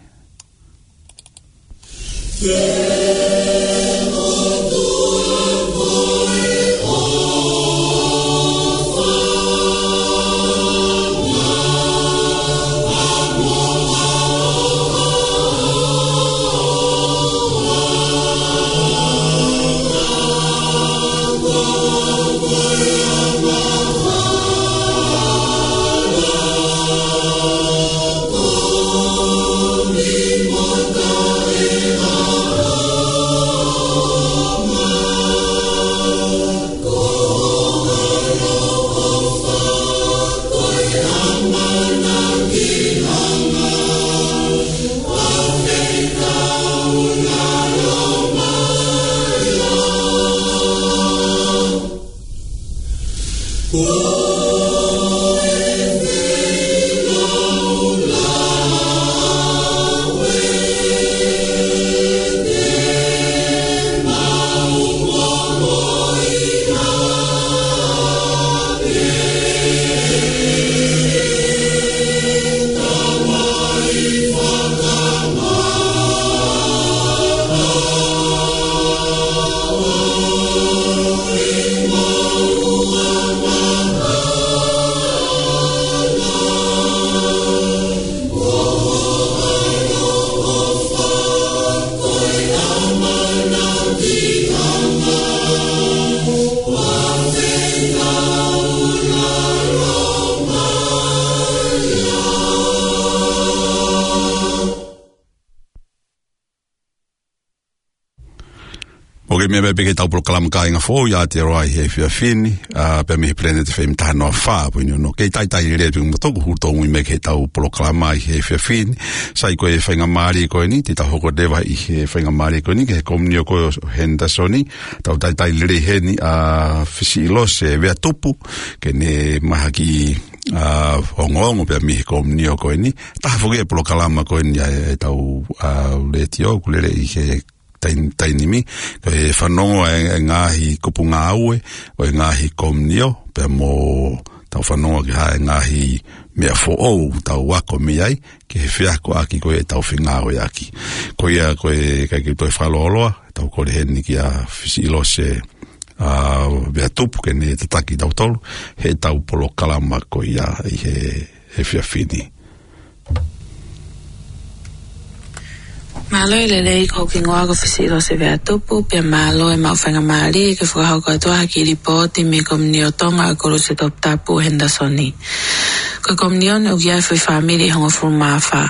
ʻOku ke meʻa mai pē ki heʻetau polokalama Kāinga Foʻou ʻi Aotearoa ʻi he efiafi ni, ā, pea mei he Planet F M taha noa fā poini ono. Kei talitali lelei atu kimoutolu hoʻomou tokoni mai ki heʻetau polokalama ʻi he efiafi ni. Sai, ko e faingamālie ko eni, te tau hoko leva ʻi he faingamālie ko eni ki he komiunitī ko ē ʻo Henderson. Tau talitali lelei heni ʻa Fisiʻilose Veatupu, ke ne mahaki, ā, ongoongo pea mei he komiunitī ko eni. Taha foki e polokalama ko eni ʻa e, ʻetau, ā, letiō, ʻoku lele ʻi he tai-, taimi ni, ko e fanongo e, e ngaahi kupu ngāue ʻo e ngaahi komiunitī, pea mo tau fanongo ki ha ngaahi meʻa foʻou tau ako mei ai, ki he feakoʻaki ko ē ʻetau fengāueʻaki. Ko ia ko e, ʻikai ke u toe fakalōloa, tau kole heni kia Fisiʻilose, ā, Veatupu ke ne tataki kitautolu heʻetau polokalama ko ia ʻi he, he efiafi ni. Mālō e lelei, ko hoku hingoa ko Fisiʻilose Veatupu, pea mālō e maʻu faingamālie ke fakahoko atu ha kiʻi lipooti mei he komiunitī ʻo Tonga ʻa e Koluse Toputapu Henderson. Ko e komiunitī ni ʻoku ʻi ai e foʻi fāmili ʻe hongofulu mā fā.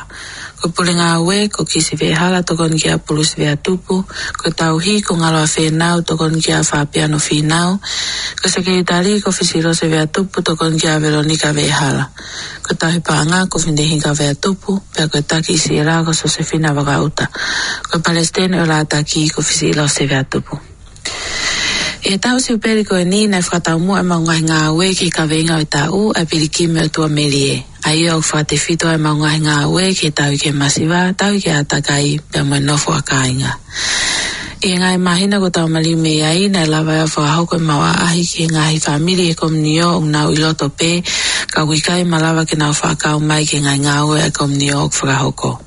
Ko e pule ngāue, ko Kisi Vehala, tokoni kia Pulusi Veatupu. Ko e tauhi, ko Ngaloa Fēnau, tokoni kia Fapiano Fīnau. Ko e sekelitali, ko Fisiʻilose Veatupu, tokoni kia Velonika Vehala. Ko e tauhi paʻanga, ko Finehinga Veatupu, pea ko e taki ʻi Siela, ko Sosefina Vakaʻuta. Ko e palesiteni ʻo e lātaki, ko Fisiʻilose Veatupu. ʻI he taʻu siupeli ko eni, naʻe fakataumuʻa ʻemau ngaahi ngāue ki he kaveinga ʻo e taʻu, ʻa e Pilikimi ʻo e ʻOtua Melie. ʻA ia ʻoku fakatefito ai ʻemau ngaahi ngāue ki he tauhi ki he masiva, tauhi ki he ʻātakai, pea mo e nofo ʻa kāinga. ʻI he ngaahi māhina kuo tau maliu mei ai, naʻe lava ai ʻo fakahoko ʻemau ʻaʻahi ki he ngaahi fāmili ʻi he komiunitī ʻoku nau ʻi loto pē, ka ʻoku ʻikai malava ke nau fakakau mai ki he ngaahi ngāue ʻa e komiunitī ʻoku fakahoko.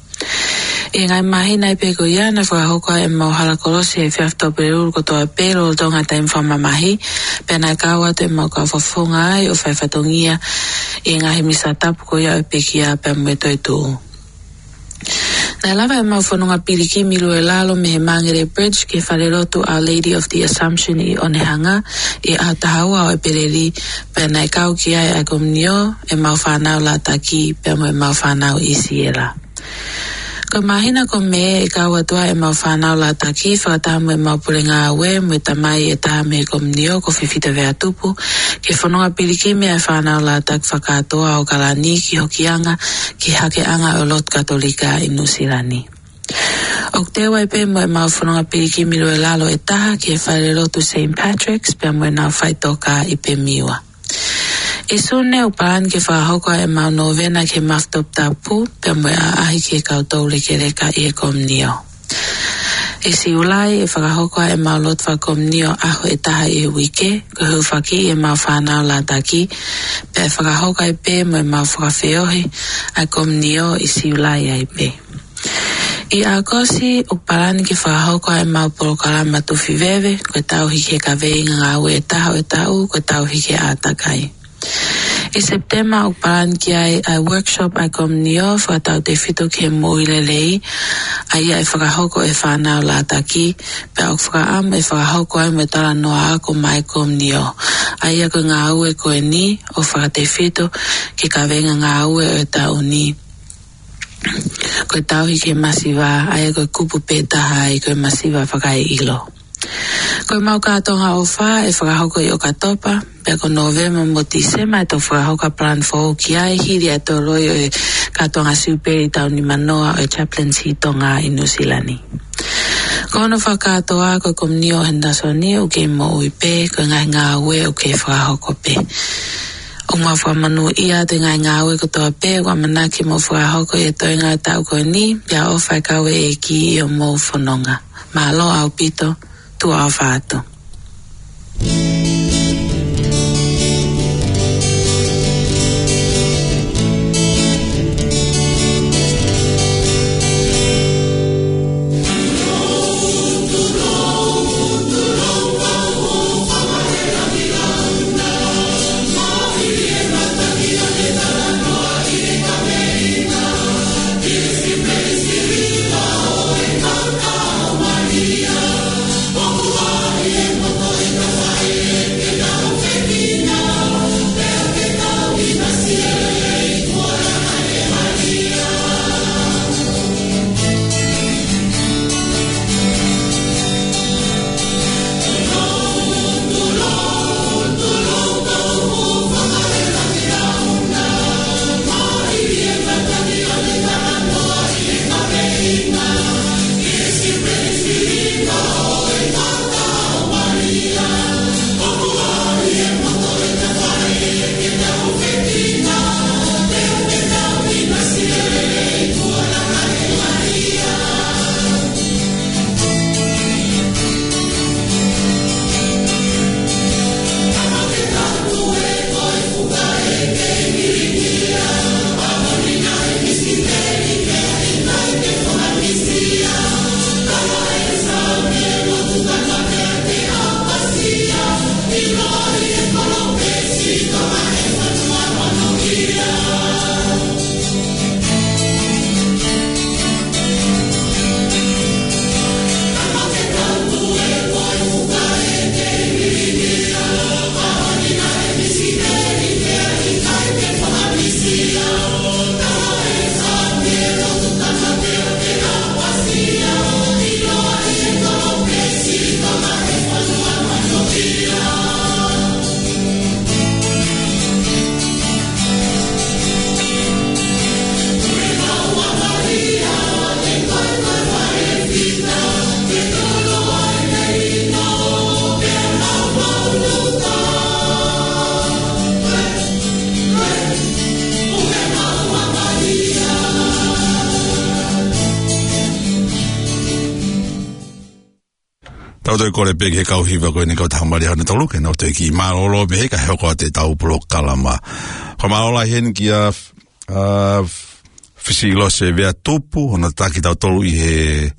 ʻI he ngaahi māhina ia pē ko ia, naʻe fakahoko ai ʻemau hala kolosi he efiafi Tuʻapulelulu kotoa pē lolotonga e taimi fakamamahi, pea naʻe kau atu ʻemau kau fakafofonga ai ʻo fai fatongia ʻi he ngaahi misa tapu ko ia ʻo e pekia pea mo e toetuʻu. Naʻe lava ʻemau fononga pilikimi lue lalo mei he Māngere Bridge ki he falelotu Our Lady of the Assumption ʻi ʻOnehunga ʻi he ʻaho taha ua ʻo ʻEpeleli, pea naʻe kau ki ai ʻa e komiunio ʻemau fānau Lātaki pea mo ʻemau fānau ʻIsiela. Ko e māhina ko Mē ʻe kau atu ai ʻemau fānau Lātaki fakataha mo ʻemau pule ngāue mo e tamai ʻe taha mei he komiunio ko Fifita Veatupu ki he fononga pilikimi ʻa e fānau Lātaki fakakātoa ʻo ʻAokalani ki Hokianga ki he hakeʻanga ʻo e lotu Katolika ʻi Nuʻusila ni. ʻOku teu ai pē mo ʻemau fononga pilikimi lue lalo ʻe taha ki he falelotu Saint Patrick's pea mo ʻenau faʻitoka ʻi Pemiua. ʻI Sune ʻoku palani ke fakahoko ai ʻemau nōvena ki he Mafi Toputapu pea mo e ʻaʻahi ki he kau toulekeleka ʻi he komiunio. ʻI Siulai ʻe fakahoko ai ʻemau lotu fakakomiunio ʻaho ʻe taha ʻi he uike, ko e hūfakiʻi ʻemau fānau Lātaki, pea ʻe fakahoko ai pē mo ʻemau fakafeohi ʻa e komiunio ʻi Siulai ai pē. ʻI ʻAokosi ʻoku palani ke fakahoko ai ʻemau polokalama Tufi Veve, ko e tauhi ki he kaveinga ngāue ʻe taha ʻo e taʻu, ko e tauhi ki he ʻātakai. ʻI Sepitema ʻoku palani ki ai ʻa e workshop ʻa e komiunio fakatautefito ki he moʻui lelei, ʻa ia ʻe fakahoko ʻe he fānau Lātaki, pea ʻoku fakaʻamu ʻe fakahoko ai mo e talanoa ako maʻá e komiunio, ʻa ia ko e ngāue ko eni ʻoku fakatefito ki he kaveinga ngāue ʻo e taʻu ni, ko e tauhi ki he masiva, ʻa ia ko e kupu pē taha ai ko e masiva fakaeʻilo. Ko ʻemau kātoanga ʻofa ʻe fakahoko ʻi ʻOkatopa, pea ko Nōvema mo Tīsema ʻe toki fakahoko ʻa e plan foʻou ki ai hili ʻa e toloi ʻo e kātoanga siupeli taʻu nimanoa ʻo e Chaplaincy Tonga ʻi Nuʻusila ni. Ko hono fakakātoa ko e komiunio ʻo Henderson ʻoku kei moʻui pē, ko e ngaahi ngāue ʻoku kei fakahoko pē. ʻOku mau fakamonūʻia atu e ngaahi ngāue kotoa pē ʻoku ʻamanaki mo fakahoko ʻi he toenga ʻo e taʻu ko eni, pea ʻofa e kau ʻeiki ʻi hoʻomou fononga. Mālō ʻaupito, tuʻa ʻofa atu. Tau toe kole pē ki he kau hiva ko eni, kau tau mali hana tolu ke nau toe kiʻi mālōlō pē he kae hoko atu ʻetau polokalama. Fakamālō lahi heni kia, ʻa, Fisilose Veatupu, hono tataki tautolu ʻi he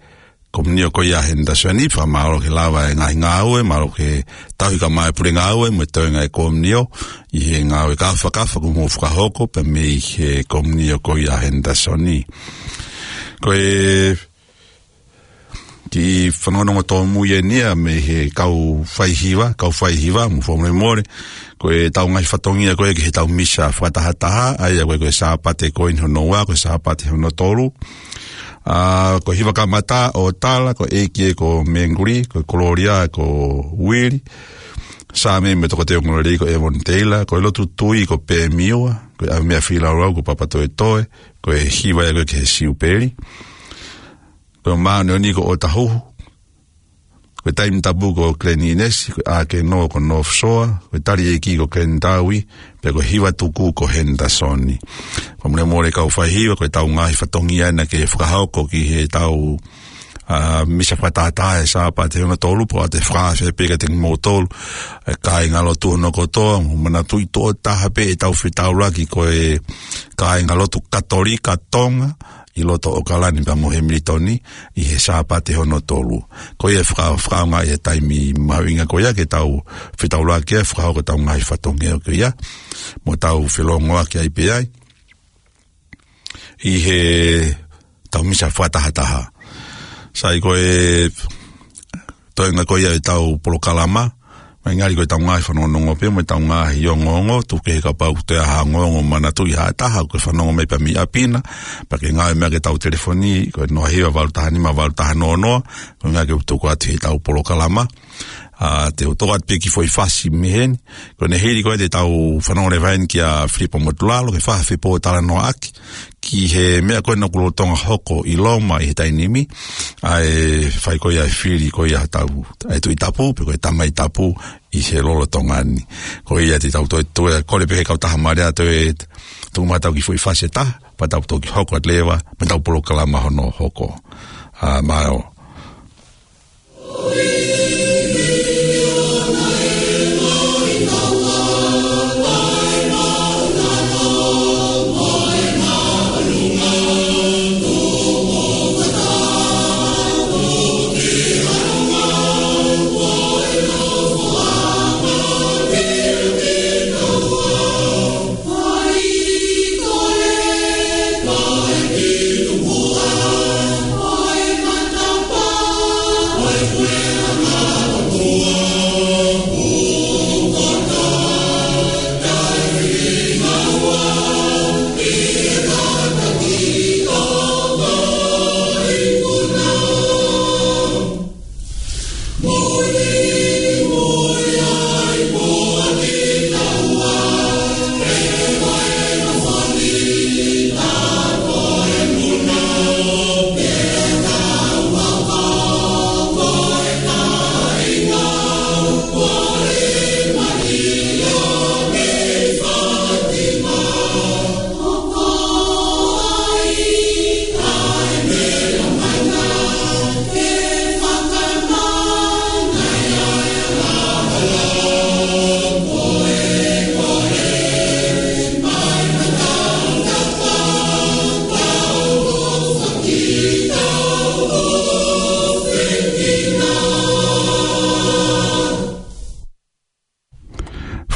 komiunio ko ia Henderson. Fakamālō ke lava e ngaahi ngāue, mālō ke tauhi kae ʻumaʻā e pule ngāue mo e toenga e komiunio ʻi he ngāue kāfakafa kuo mou fakahoko pē mei he komiunio ko ia Henderson. Ko e kiʻi fanongonongo tōmui eni ia mei he kau faihiva, kau faihiva, mo fakamolemole. Ko ʻetau ngaahi fatongia ko ē ki heʻetau misa fakatahataha, ʻa ia ko e, ko e Sāpate ko eni hono ua, ko e Sāpate hono tolu. ʻA, ko e hiva kamata ʻo tala, ko e ʻEiki ko Menguli, ko e Kololia ko Uili. Saame mo e toketā ko Lelei ko ʻEvoni Teila, ko e lotu tui ko Pemiua, ko e ʻAvimea Filaulau ko Papatoetoe, ko e hiva ia ko ē ki he Siupeli. Ko e māʻoniʻoni ko ʻOtahuhu, ko e Taimi Tapu ko Glen Innes, ko e ʻĀkenō ko North Shore, ko e Tali ʻEiki ko Glen Tawi, pea ko e hiva tuku ko Henderson. Fakamolemole kau faihiva, ko ʻetau ngaahi fatongia naʻa ke fakahoko ki heʻetau, ʻa, misa fakatahataha he Sāpate hono tolu, pea ʻoatu e fakaafe pē kiate kimoutolu, ʻa e kāingalotu hono kotoa, mou manatuʻi tuʻo taha pē ʻetau fetaulaki ko e kāingalotu Katolika Tonga, ʻi loto ʻOkalani pea mo Hemilitoni, ʻi he Sāpate hono tolu. Ko ia faka-, fakaʻaongaʻi e taimi mahuʻinga ko ia ke tau fetaulaki ai, fakahoko ʻetau ngaahi fatongia ko ia, mo tau felongoaki ai pē ai ʻi heʻetau misa fakatahataha. Sai, ko e toenga ko ia ʻetau polokalama, mai ngali ko ʻetau ngaahi fanongonongo pē mo ʻetau ngaahi ongoongo, tuku kehe kapau ʻoku toe ʻi ai ha ongoongo, manatuʻi ha taha ʻoku ke fanongo mai pē mei ʻapi na, pea ke ngāue mai ki heʻetau telefoni, ko e noa hiva valu taha nima valu taha noa noa, ko e ʻuhinga ke u tuku atu heʻetau polokalama. ʻA, te u toʻo atu pē kiʻi foʻi fasi mei heni, ko ʻene hili ko ē ʻetau fanongo leva heni kia Filipo Motulalo, ke fakafepōtalanoaʻaki ki he meʻa ko ē naʻe lolotonga hoko ʻi Loma ʻi he taimi ni, ʻa e fai ko ia e fili ko ia ʻa hotau, ʻa e Tuʻi Tapu, pe ko e Tamai Tapu ʻi he lolotonga ni. Ko ia te tau toe, toe kole pē ki he kautaha mālie ʻo toe tuku mai haʻatau kiʻi foʻi fasi ʻe taha, pea tau toki hoko atu leva mei heʻetau polokalama hono hoko. ʻA, mālō.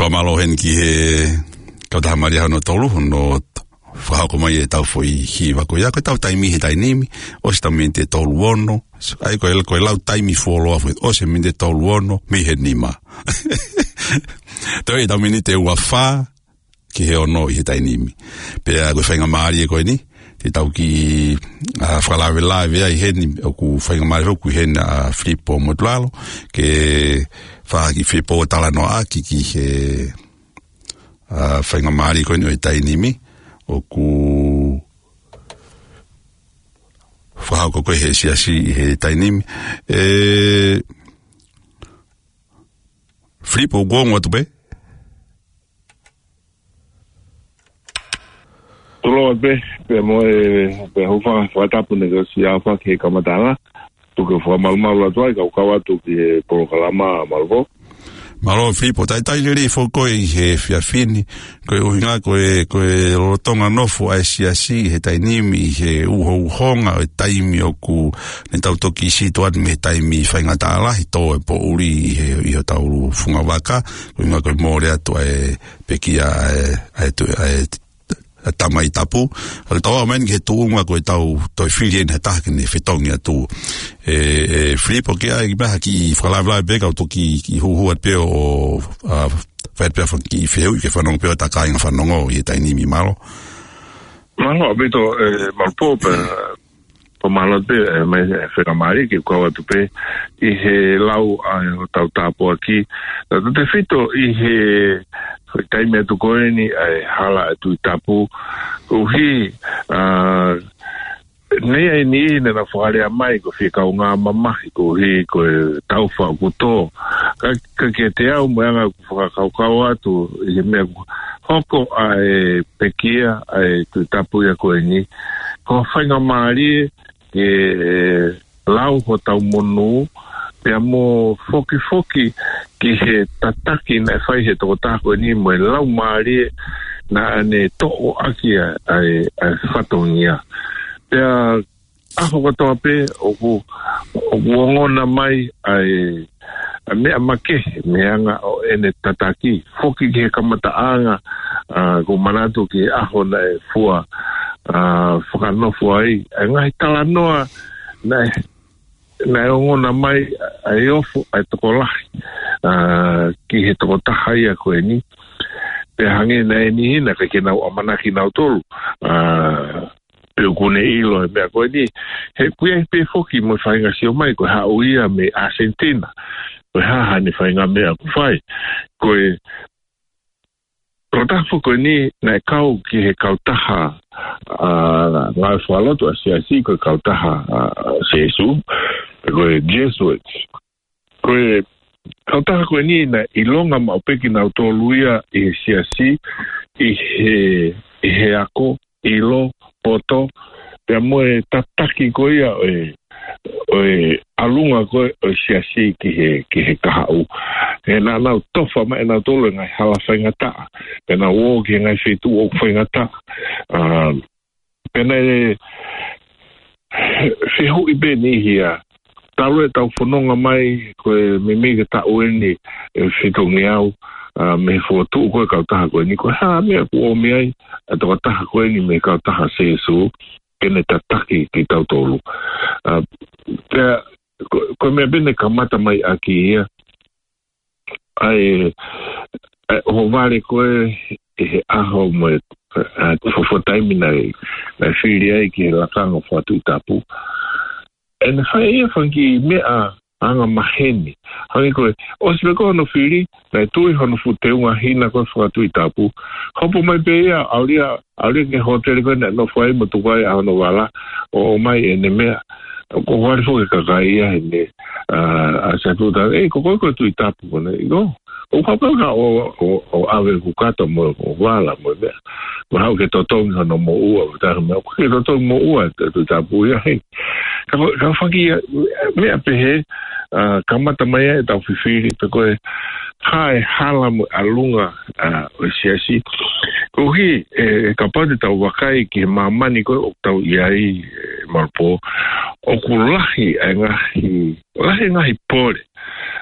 Fakamālō heni ki he kautaha mālie hono tolu, hono fakahoko mai ʻetau foʻi hiva ko ia, ko ʻetau taimi he taimi ni, ʻosi ʻetau miniti ʻe tolu ono, ʻa ia ko e, ko e lau taimi fuoloa foki, ʻosi e miniti ʻe tolu ono, mei he nima. Toe ʻetau miniti ʻe ua fā, ki he ono ʻi he taimi ni. Pea ko e faingamālie ko eni, te tau kiʻi, ʻa, fakalavelave ai heni, ʻoku faingamālie ʻoku ʻi heni ʻa Filipo Motulalo, ke fai ha kiʻi fepōtalanoaʻaki ki he, ʻa, faingamālie ko eni ʻo e taimi ni, ʻoku fakahoko ko ē he siasi ʻi he taimi ni. ʻE, Filipo, ʻoku ongo atu pē? Tulou atu pē, pea mo e, pea hūfanga he fakatapu naʻe ʻosi ʻafaki he kamataʻanga. Tuku ke u fakamalumalu atu ai, kau kau atu ki he polokalama, mālō. Mālō Filipo, talitali lelei foki koe ʻi he efiafi ni, ko e ʻuhinga ko e, ko e lolotonga nofo ʻa e siasi ʻi he taimi ni, ʻi he uhouhonga ʻo e taimi ʻoku ne tau toki sītuʻa atu mei he taimi faingataʻa lahi, tō e poʻuli ʻi he, ʻi hotau funga vaka, ko e ʻuhinga ko e mole atu ʻa e pekia ʻa e, ʻa e tu-, ʻa e ʻa e Tamai Tapu. ʻOku tau aʻu mai eni ki he tuʻunga ko ʻetau toe fili eni ha taha ke ne fetongi atu. ʻE, ʻe Filipo, ke ʻai mai ha kiʻi fakalavelave pē kau toki kiʻi huhu atu pē ʻo, ʻa, fai pē ha kiʻi fehuʻi ke fanongo pē ʻa e kāinga fanongo ʻi he taimi ni, mālō. Mālō ʻaupito, ʻe, Malupō, pea, pea mālō pē, ʻe, mai, ʻe, faingamālie ke kau atu pē ʻi he lau ʻa hotau tāpuaki. Tautautefito ʻi he, he taimi atu ko eni ʻa e hala ʻa e Tuʻi Tapu. Koeʻuhi, ʻa, naʻe ʻi ai e niʻihi naʻa nau fakalea mai ko e fie kaungā mamahi koeʻuhi ko e taufa ʻoku tō. Ka, ka kiate au mo e anga ʻeku fakakaukau atu ʻi he meʻa ʻoku hoko ʻa e pekia ʻa e Tuʻi Tapu ia ko eni, ko e faingamālie ke, ʻe, lau hotau monū, pea mo fokifoki ki he tataki naʻe fai he tokotaha ko eni mo e laumālie naʻa ne toʻo ʻaki ʻa, ʻa e, ʻa e fatongia. Pea ʻaho kotoa pē ʻoku, ʻoku ongona mai ʻa e, ʻa e meʻa makehe mei he anga ʻo ʻene tataki. Foki ki he kamataʻanga, ʻa, ʻoku ou manatu ki he ʻaho naʻe fua, ʻa, fakanofo ai ʻa e ngaahi talanoa naʻe, naʻe ongona mai ʻa e ofo ʻa e tokolahi, ʻa, ki he tokotaha ia ko eni. Pea hangē naʻe ʻi ai e niʻihi naʻe ʻikai ke nau ʻamanaki nautolu, ʻa, pe ʻoku ne ʻilo e meʻa ko eni. He ʻoku ʻi ai pē foki mo e faʻahinga sio mai ko e haʻu ia mei ʻAsentina, ko e hā haʻane faʻahinga meʻa ʻoku fai. Ko e tokotaha foki ko eni naʻe kau ki he kautaha, ʻa, ngāue fakalotu ʻa e Siasi, ko e kautaha, ʻa, Sēsū, ko e Jesuits. Ko e kautaha ko eni naʻe ʻilonga maʻu pē kinautolu ia ʻi he Siasi, ʻi he, ʻi he ako, ʻilo, poto, pea mo e tataki ko ia ʻo e, ʻo e ʻalunga ko ē ʻo e Siasi ki he, ki he kahaʻu. He naʻa nau tofa mai ʻe nautolu e ngaahi hala faingataʻa, pea nau ō ki he ngaahi feituʻu ʻoku faingataʻa. ʻA, pea naʻe fehuʻi pē niʻihi ia, talu ʻetau fononga mai ko e meimei ke taʻu eni ʻe fitungeau, ʻa, mei he fokotuʻu ko ē e kautaha ko eni, ko e hā e meʻa ʻoku ʻomi ai ʻa e tokotaha ko eni mei he kautaha Sēsū ke ne tataki kitautolu. ʻA, pea ko, ko e meʻa pē naʻe kamata mai ʻaki ia ʻa e, ʻa e ʻohovale ko ē ʻi he ʻaho mo e, ʻa, fuofua taimi naʻe, naʻe fili ai ki he lakanga fakatuʻi tapu. ʻE ne fai ʻe ia e fanga kiʻi meʻa anga maheni. Hangē ko e, ʻosi pē ko hono fili, naʻe tui hono fuʻu teunga hina ko ē fakatuʻi tapu. Hopo mai pē ia, ʻalu ia, ʻalu ia ki he hōtele ko ē naʻe nofo ai mo tuku ai ʻa hono vala, ʻo ʻomai ʻene meʻa. ʻOku ʻohovale foki e kakai ia heʻene, ʻa, ʻasi atu, talaange, ʻEi, ko koe ko e Tuʻi Tapu koe, ʻio. ʻOku ou haʻu pē au ʻo, ʻo, ʻo ʻave ʻeku kato mo ʻeku vala mo e meʻa. Mo haʻu ke totongi hono moʻua, mo taha meʻa, ʻoku ʻikai ke totongi moʻua e Tuʻi Tapu ia, hē. Ka, ka fanga kiʻi meʻa pehē, ʻa, kamata mai ai ʻetau fifili pe ko e hā e hala mo e ʻalunga, ʻa, ʻo e Siasi. Koeʻuhi, ʻe, ʻe kapau te tau vakai ki he māmani ko ē ʻoku tau ʻi ai, ʻe, Malupō, ʻoku lahi e ngaahi, lahi e ngaahi pole.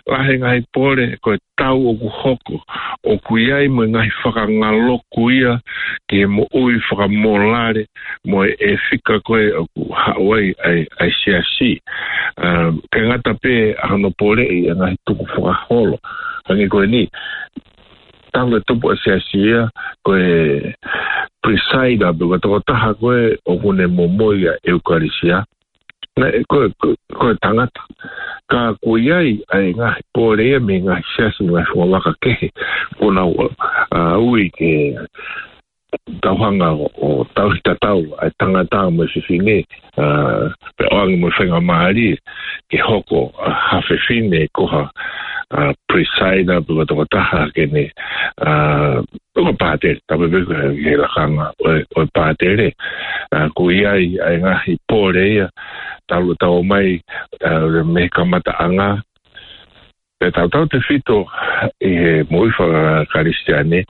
Lahi e ngaahi pole, ko e tau ʻoku hoko, ʻoku ʻi ai mo e ngaahi fakangaloku ia ki he moʻui fakamōlale mo e, ʻe fika ko ē ʻoku haʻu ai ʻa e, ʻa e Siasi. ʻA, ʻikai ngata pē ʻa hono poleʻi e ngaahi tukufakaholo. Hangē ko eni, talu e tupu ʻa e Siasi ia, ko e presider pe ko e tokotaha ko ē ʻoku ne momoi ʻa e ʻEukalisia. Naʻe, ko, ko, ko e tangata. Ka ʻoku ʻi ai ʻa e ngaahi pole ia mei he ngaahi siasi, ngaahi fungavaka kehe. Ko ʻenau, ʻa, ui ke tau hanga ʻo, ʻo tauhi tatau ʻa e tangata mo e fefine, ʻa, pea ʻoange mo e faingamālie ke hoko, ʻa, ha fefine ko ha, ʻa, presider pe ko e tokotaha ke ne, ʻa, ko e pātele, tapu pē ko e, he lakanga ʻo e, ʻo e pātele. ʻA, ʻoku ʻi ai ʻa e ngaahi pole ia, talu ʻetau ō mai, ʻa, mei he kamataʻanga, pea tautautefito ʻi he moʻui faka-Kalisitiane,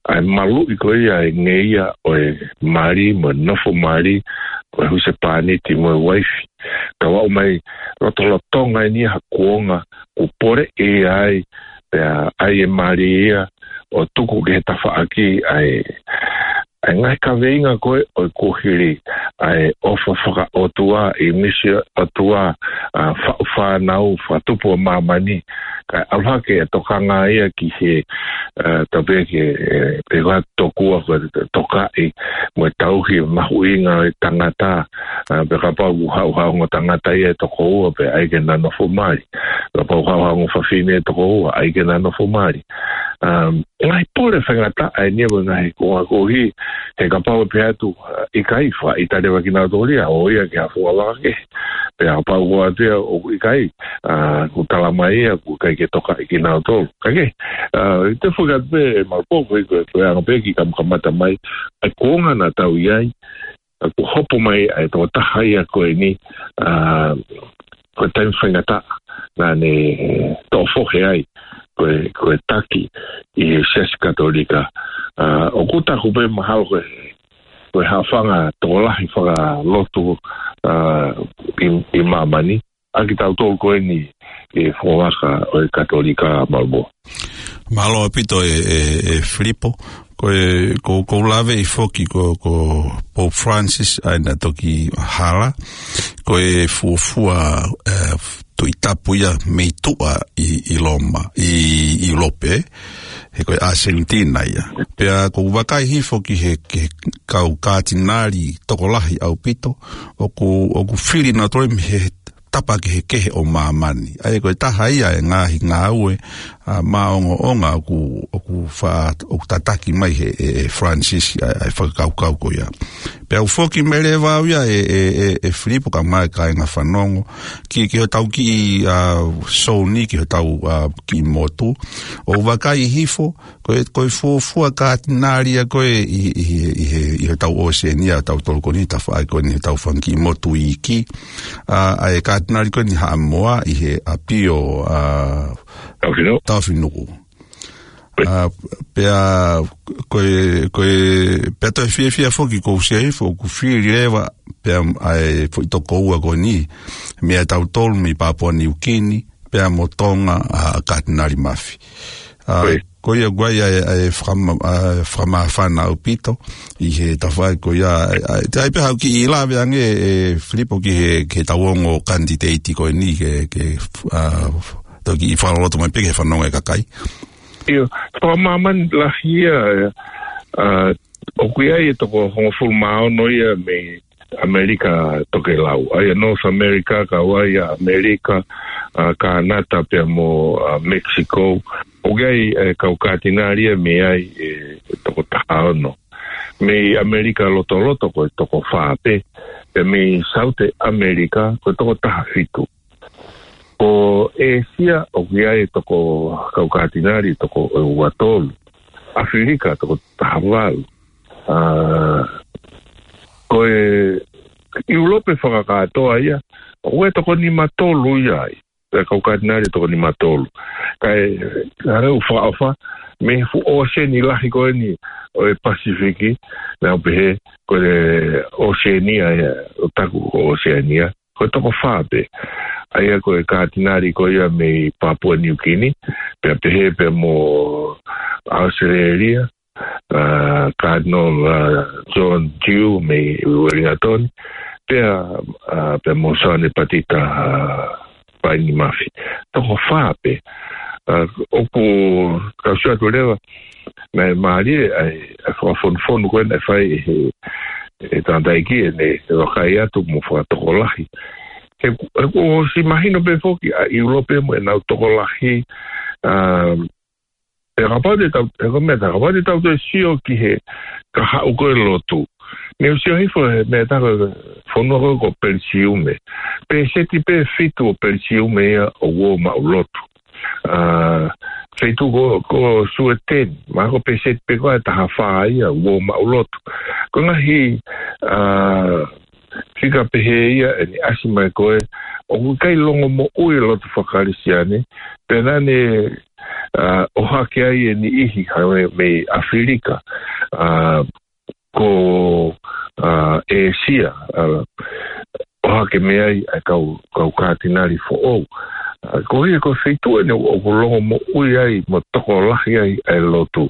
ʻa e maluʻi ko ia e ngeia ʻo e mali mo e nofo mali, ko e husepāniti mo e uaifi. Tau aʻu mai lotolotonga eni ia ha kuonga ʻoku poleʻi ai, pea ʻai e mali ia ʻo tuku ki he tafaʻaki ʻa e, ʻa e ngaahi kaveinga ko ē ʻo e kuohili, ʻa e ʻofa fakaʻotua, ʻi misi ʻOtua, ʻa, faʻu fānau, fakatupu ʻa māmani, kae ʻalu hake e tokanga ia ki he, ʻa, tau pehē ki he, ʻe, pehē ko e tokua ko e tokaʻi, mo e tauhi mahuʻinga ʻo e tangata, ʻa, pea kapau ʻoku haʻu ha ongo tangata ia ʻe toko ua, pea ʻai ke na nofo mali. Kapau ʻoku haʻu ha ongo fafine ʻe toko ua, ʻai ke na nofo mali. Um, ngaahi pole faingataʻa eni ia mo e ngaahi konga kohi, he kapau ʻe pehē atu, ʻa, ʻikai, fakaʻita leva kinautolu ia, ō ia ki ha fuʻu vaka kehe. Pea kapau ko atu ia ʻoku ʻikai, ʻa, ʻoku tala mai ia, ʻoku ʻikai ke tokaʻi kinautolu. Ka ke, ʻa, ʻi he fuʻu kapi pē, Malipō, ko e, ko e, ko e anga pē ki he kamakamata mai, ʻa e kuonga naʻa tau ʻi ai, ʻa, kuo hopo mai ʻa e tokotaha ia ko eni, ʻa, ko e taimi faingataʻa naʻa ne toʻo fohe ai ko e, ko e taki ʻi he Siasi Katolika. ʻA, ʻoku taku pē mahalo ko e, ko e haʻofanga tokolahi fakalotu, ʻa, ʻi, ʻi māmani, ʻa kitautolu ko eni ʻi he fofonga ʻo e Katolika, Malipō. Mālō ʻaupito ē, ē, ē Filipo, ko e, ko, ʻoku ou laveʻi foki ko, ko Pope Francis ʻa ia naʻe toki hala, ko e fuofua, ē, tuʻi tapu ia mei tuʻa ʻi, ʻi Loma, ʻi, ʻi ʻIulope, he ko e ʻAsentina ia. Pea ʻoku ou vakai hifo ki he, ki he kau kātinali tokolahi ʻaupito, ʻoku, ʻoku fili nautolu mei he tapa kehekehe ʻo māmani. ʻA ia ko e taha ia e ngaahi ngāue, ʻa, maʻongoʻonga ʻoku, ʻoku fa-, ʻoku tataki mai he, ʻe, ʻe Francis ʻa, ʻa e fakakaukau ko ia. Pea u foki mai leva au ia ē, ē, ē, ē Filipo kae ʻumaʻā e kāinga fanongo, ki, ki hotau kiʻi, ʻa, sōni, ki hotau, ʻa, kiʻi motu. ʻOku ou vakai hifo, ko e, ko e fuofua kātinali ia ko ē ʻi, ʻi, ʻi, ʻi, ʻi hotau ʻOsēnia, tautolu ko eni, tafaʻaki ko eni hotau fanga kiʻi motu iiki. ʻA, ʻa e kātinali ko eni Haʻamoa ʻi he ʻApio, ʻa, Taofinuku. Taofinuku. ʻA, pea, ko e, ko e, pea toe fiefia foki ʻoku ou sio hifo, ʻoku fili leva, pea ʻa e foʻi toko ua ko eni, mei tautolu, mei Papua Niukini, pea mo Tonga, ʻa, Kātinali Mafi. ʻA, Oi. Ko ia ʻoku ʻi ai ʻa e, ʻa e fakama-, ʻa e fakamāfana ʻaupito, ʻi he tafaʻaki ko ia, ʻa, ʻa, te ai pē haʻu kiʻi lave ange ē Filipo ki he, ki he tau ongo kanititeiti ko eni, ke, ke, ʻa, toki fakaloloto mai pē ki he fanongo ʻa e kakai. ʻIo, fakamāmani lahi ia, ʻa, ʻoku ʻi ai e toko hongofulu mā ono ia mei ʻAmelika Tokelau. ʻA ia North America, kau ai ʻa ʻAmelika, ʻa, Kānata pea mo, ʻa, Mexico. ʻOku ʻi ai e kau kātinali ia mei ai e toko taha ono. Mei ʻAmelika Lotoloto ko e toko fā pē. Pea mei Saute ʻAmelika ko e toko taha fitu. Ko ʻĒsia ʻoku ʻi ai e toko kau kātinali toko ua tolu. ʻAfilika toko taha valu. ʻA, ko e ʻIulope fakakātoa ia, ʻoku ʻi ai e toko nima tolu ia ai. Ko e kau kātinali toko nima tolu. Kae, ʻa e ʻū fakaʻofa, mei he fuʻu ʻōseni lahi ko eni ʻo e Pasifiki, naʻa ku pehē, ko e ʻOsēnia ia, ʻoku taku ko ʻOsēnia, ko e toko fā pē. ʻA ia ko e kātinali ko ia mei Papua Niukini, pea pehē pea mo ʻAositelēlia, ʻa, Cardinal, ʻa, John Dew mei Uelingatoni, pea, ʻa, pea mo Soane Patita, ʻa, Paini Mafi. Toko fā pē. ʻA, ʻoku, kau sio atu leva, naʻe mālie ʻa e, ʻa e fakafonufonu ko ē naʻe fai ʻe he, ʻe he tangataʻeiki ʻene, ʻene vakai atu mo fakatokolahi. He, he ʻoku ʻosi mahino pē foki ʻa ʻIulope mo ʻenau tokolahi, ʻa, pea kapau te tau, he ko e meʻa tā, kapau te tau toe sio ki he kahaʻu ko ē lotu. Naʻa ku sio hifo he meʻa tā ko e fonua ko ē ko Pelisiume. Pēseti pē fitu ʻo Pelisiume ia ʻoku ō maʻu lotu. ʻA, feituʻu ko, ko Sueteni, mahalo ko e pēseti pē ko ē ʻe taha fā ia ʻoku ō maʻu lotu. Ko e ngaahi, ʻa, fika pehē ia ʻeni ʻasi mai ko ē, ʻoku ʻikai longomoʻui e lotu faka-Kalisitiane, pea naʻa ne, ʻa, ʻohake ai e niʻihi, ʻa, mei, mei ʻAfilika, ʻa, ko, ʻa, ʻĒsia, ʻa, ʻohake mei ai ʻa e kau, kau kātinali foʻou. ʻA, ko ia ko e feituʻu ʻeni ʻoku longomoʻui ai, mo tokolahi ai, ʻa e lotu.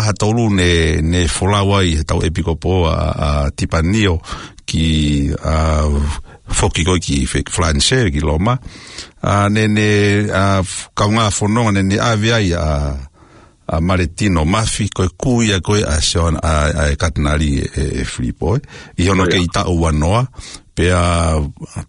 taha tolu ne, ne folau ai he tau ʻepikopo ʻa, ʻa Tipanio ki, ʻa, foki ko ē ki Fe-, Falanisē, ki Loma. ʻA, ne, ne, ʻa, f-, kaungā fononga ne, ne ʻave ai ʻa, ʻa Maletino Mafi, ko e kui ia ko ē ʻa Sione, ʻa, ʻa e Katinali ʻe, ʻe Filipo, ē. ʻI hono ʻIo. Kei taʻu ua noa, pea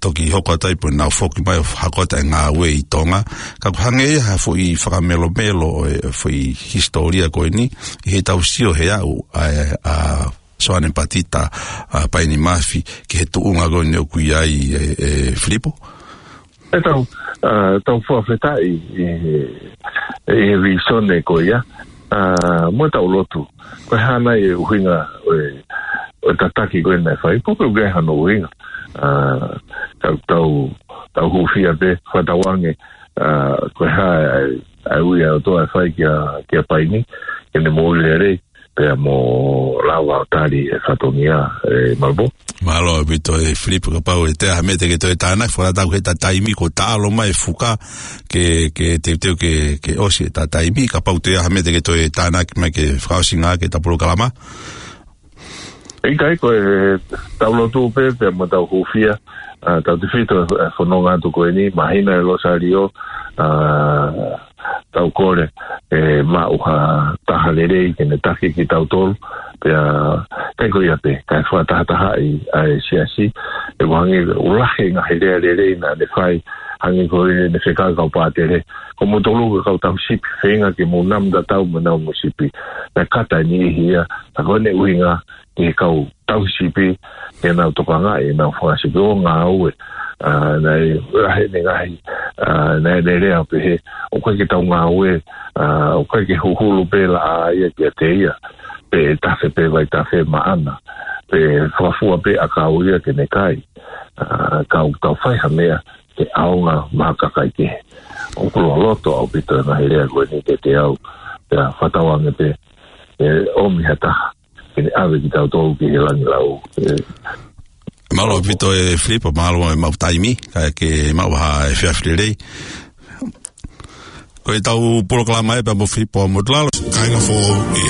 toki hoko atu ai pē ʻenau foki mai ʻo hoko atu e ngāue ʻi Tonga. Ka ʻoku hangē ia ha foʻi fakamelomelo ʻo e foʻi hisitōlia ko eni, ʻi heʻetau sio he aʻu ʻa, ʻa Soane Patita, ʻa, Paini Mafi, ki he tuʻunga ko eni ʻoku ʻi ai ʻe, ʻe Filipo. ʻE tau, ʻa, tau fakafetaʻi ʻi he, ʻi he vīsone ko ia, ʻa, mo tau lotu. Ko e hā nai e ʻuhinga ʻo e, ʻo e tataki ko ē naʻe fai, pe ʻoku ʻi ai hano ʻuhinga. ʻA, tau, tau, tau hūfia pē, fakatauange, ʻa, ko e hā e, ʻa e ui ʻa e ʻOtua ʻe fai kia, kia Paini, ke ne moʻui lelei, pea mo lava ʻo tali e fatongia, ʻe Malapō. Mālō ʻaupito ʻe Filipo, kapau ʻe toe ʻi ai ha meʻa te ke toe tānaki, fakatatau ki heʻeta taimi, kuo taʻalo mai e fuka, ke, ke teuteu ke, ke ʻosi ʻeta taimi, kapau ʻe toe ʻi ai ha meʻa te ke toe tānaki mai ke fakaʻosinga ʻaki ʻeta polokalama. ʻIkai, ko e tau lotu pē, pea mo tau hūfia, ʻa, tautefito e fononga atu ko eni, māhina e Losālio, ʻa, tau kole, ʻe maʻu ha taha lelei, ke ne taki kitautolu, pea, ʻikai ko ia pē, kae fakatahatahaʻi ʻa e siasi, ʻe hangē ʻoku lahi e ngaahi lea lelei naʻa ne fai, hangē ko ʻene fekau ki he kau pātele, ko moutolu ko e kau tauhi sipi, feinga ke mou nau tatau mo ʻenau mo sipi, naʻe kata e niʻihi ia, ka ko ʻene ʻuhinga, ki he kau tauhi sipi, ke nau tokangaʻi ʻenau fanga sipi ʻo ngāue, ʻa, naʻe lahi ʻene ngaahi, ʻa, naʻe, naʻe lea pehē, ʻoku ʻikai ke tau ngāue, ʻa, ʻoku ʻikai ke huhulu pē laʻā ia kiate ia, pe tafe pē vaitafe maʻana, pe fakafua pē ʻakau ia ke ne kai, ʻa, ka ʻoku tau fai ha meʻa, ke ʻaonga maʻa kakai kehe. ʻOku loloto ʻaupito e ngaahi lea ko eni kiate au, pea fakatauange pē, ʻe ʻomi ha taha, ke ne ʻave kitautolu ki he langi lau. ʻE. Mālō ʻaupito ʻe Filipo, mālō e maʻu taimi, kae ke maʻu ha efiafi lelei. Ko ʻetau polokalama ē pea mo Filipo Motulalo. Kāinga foʻou ʻi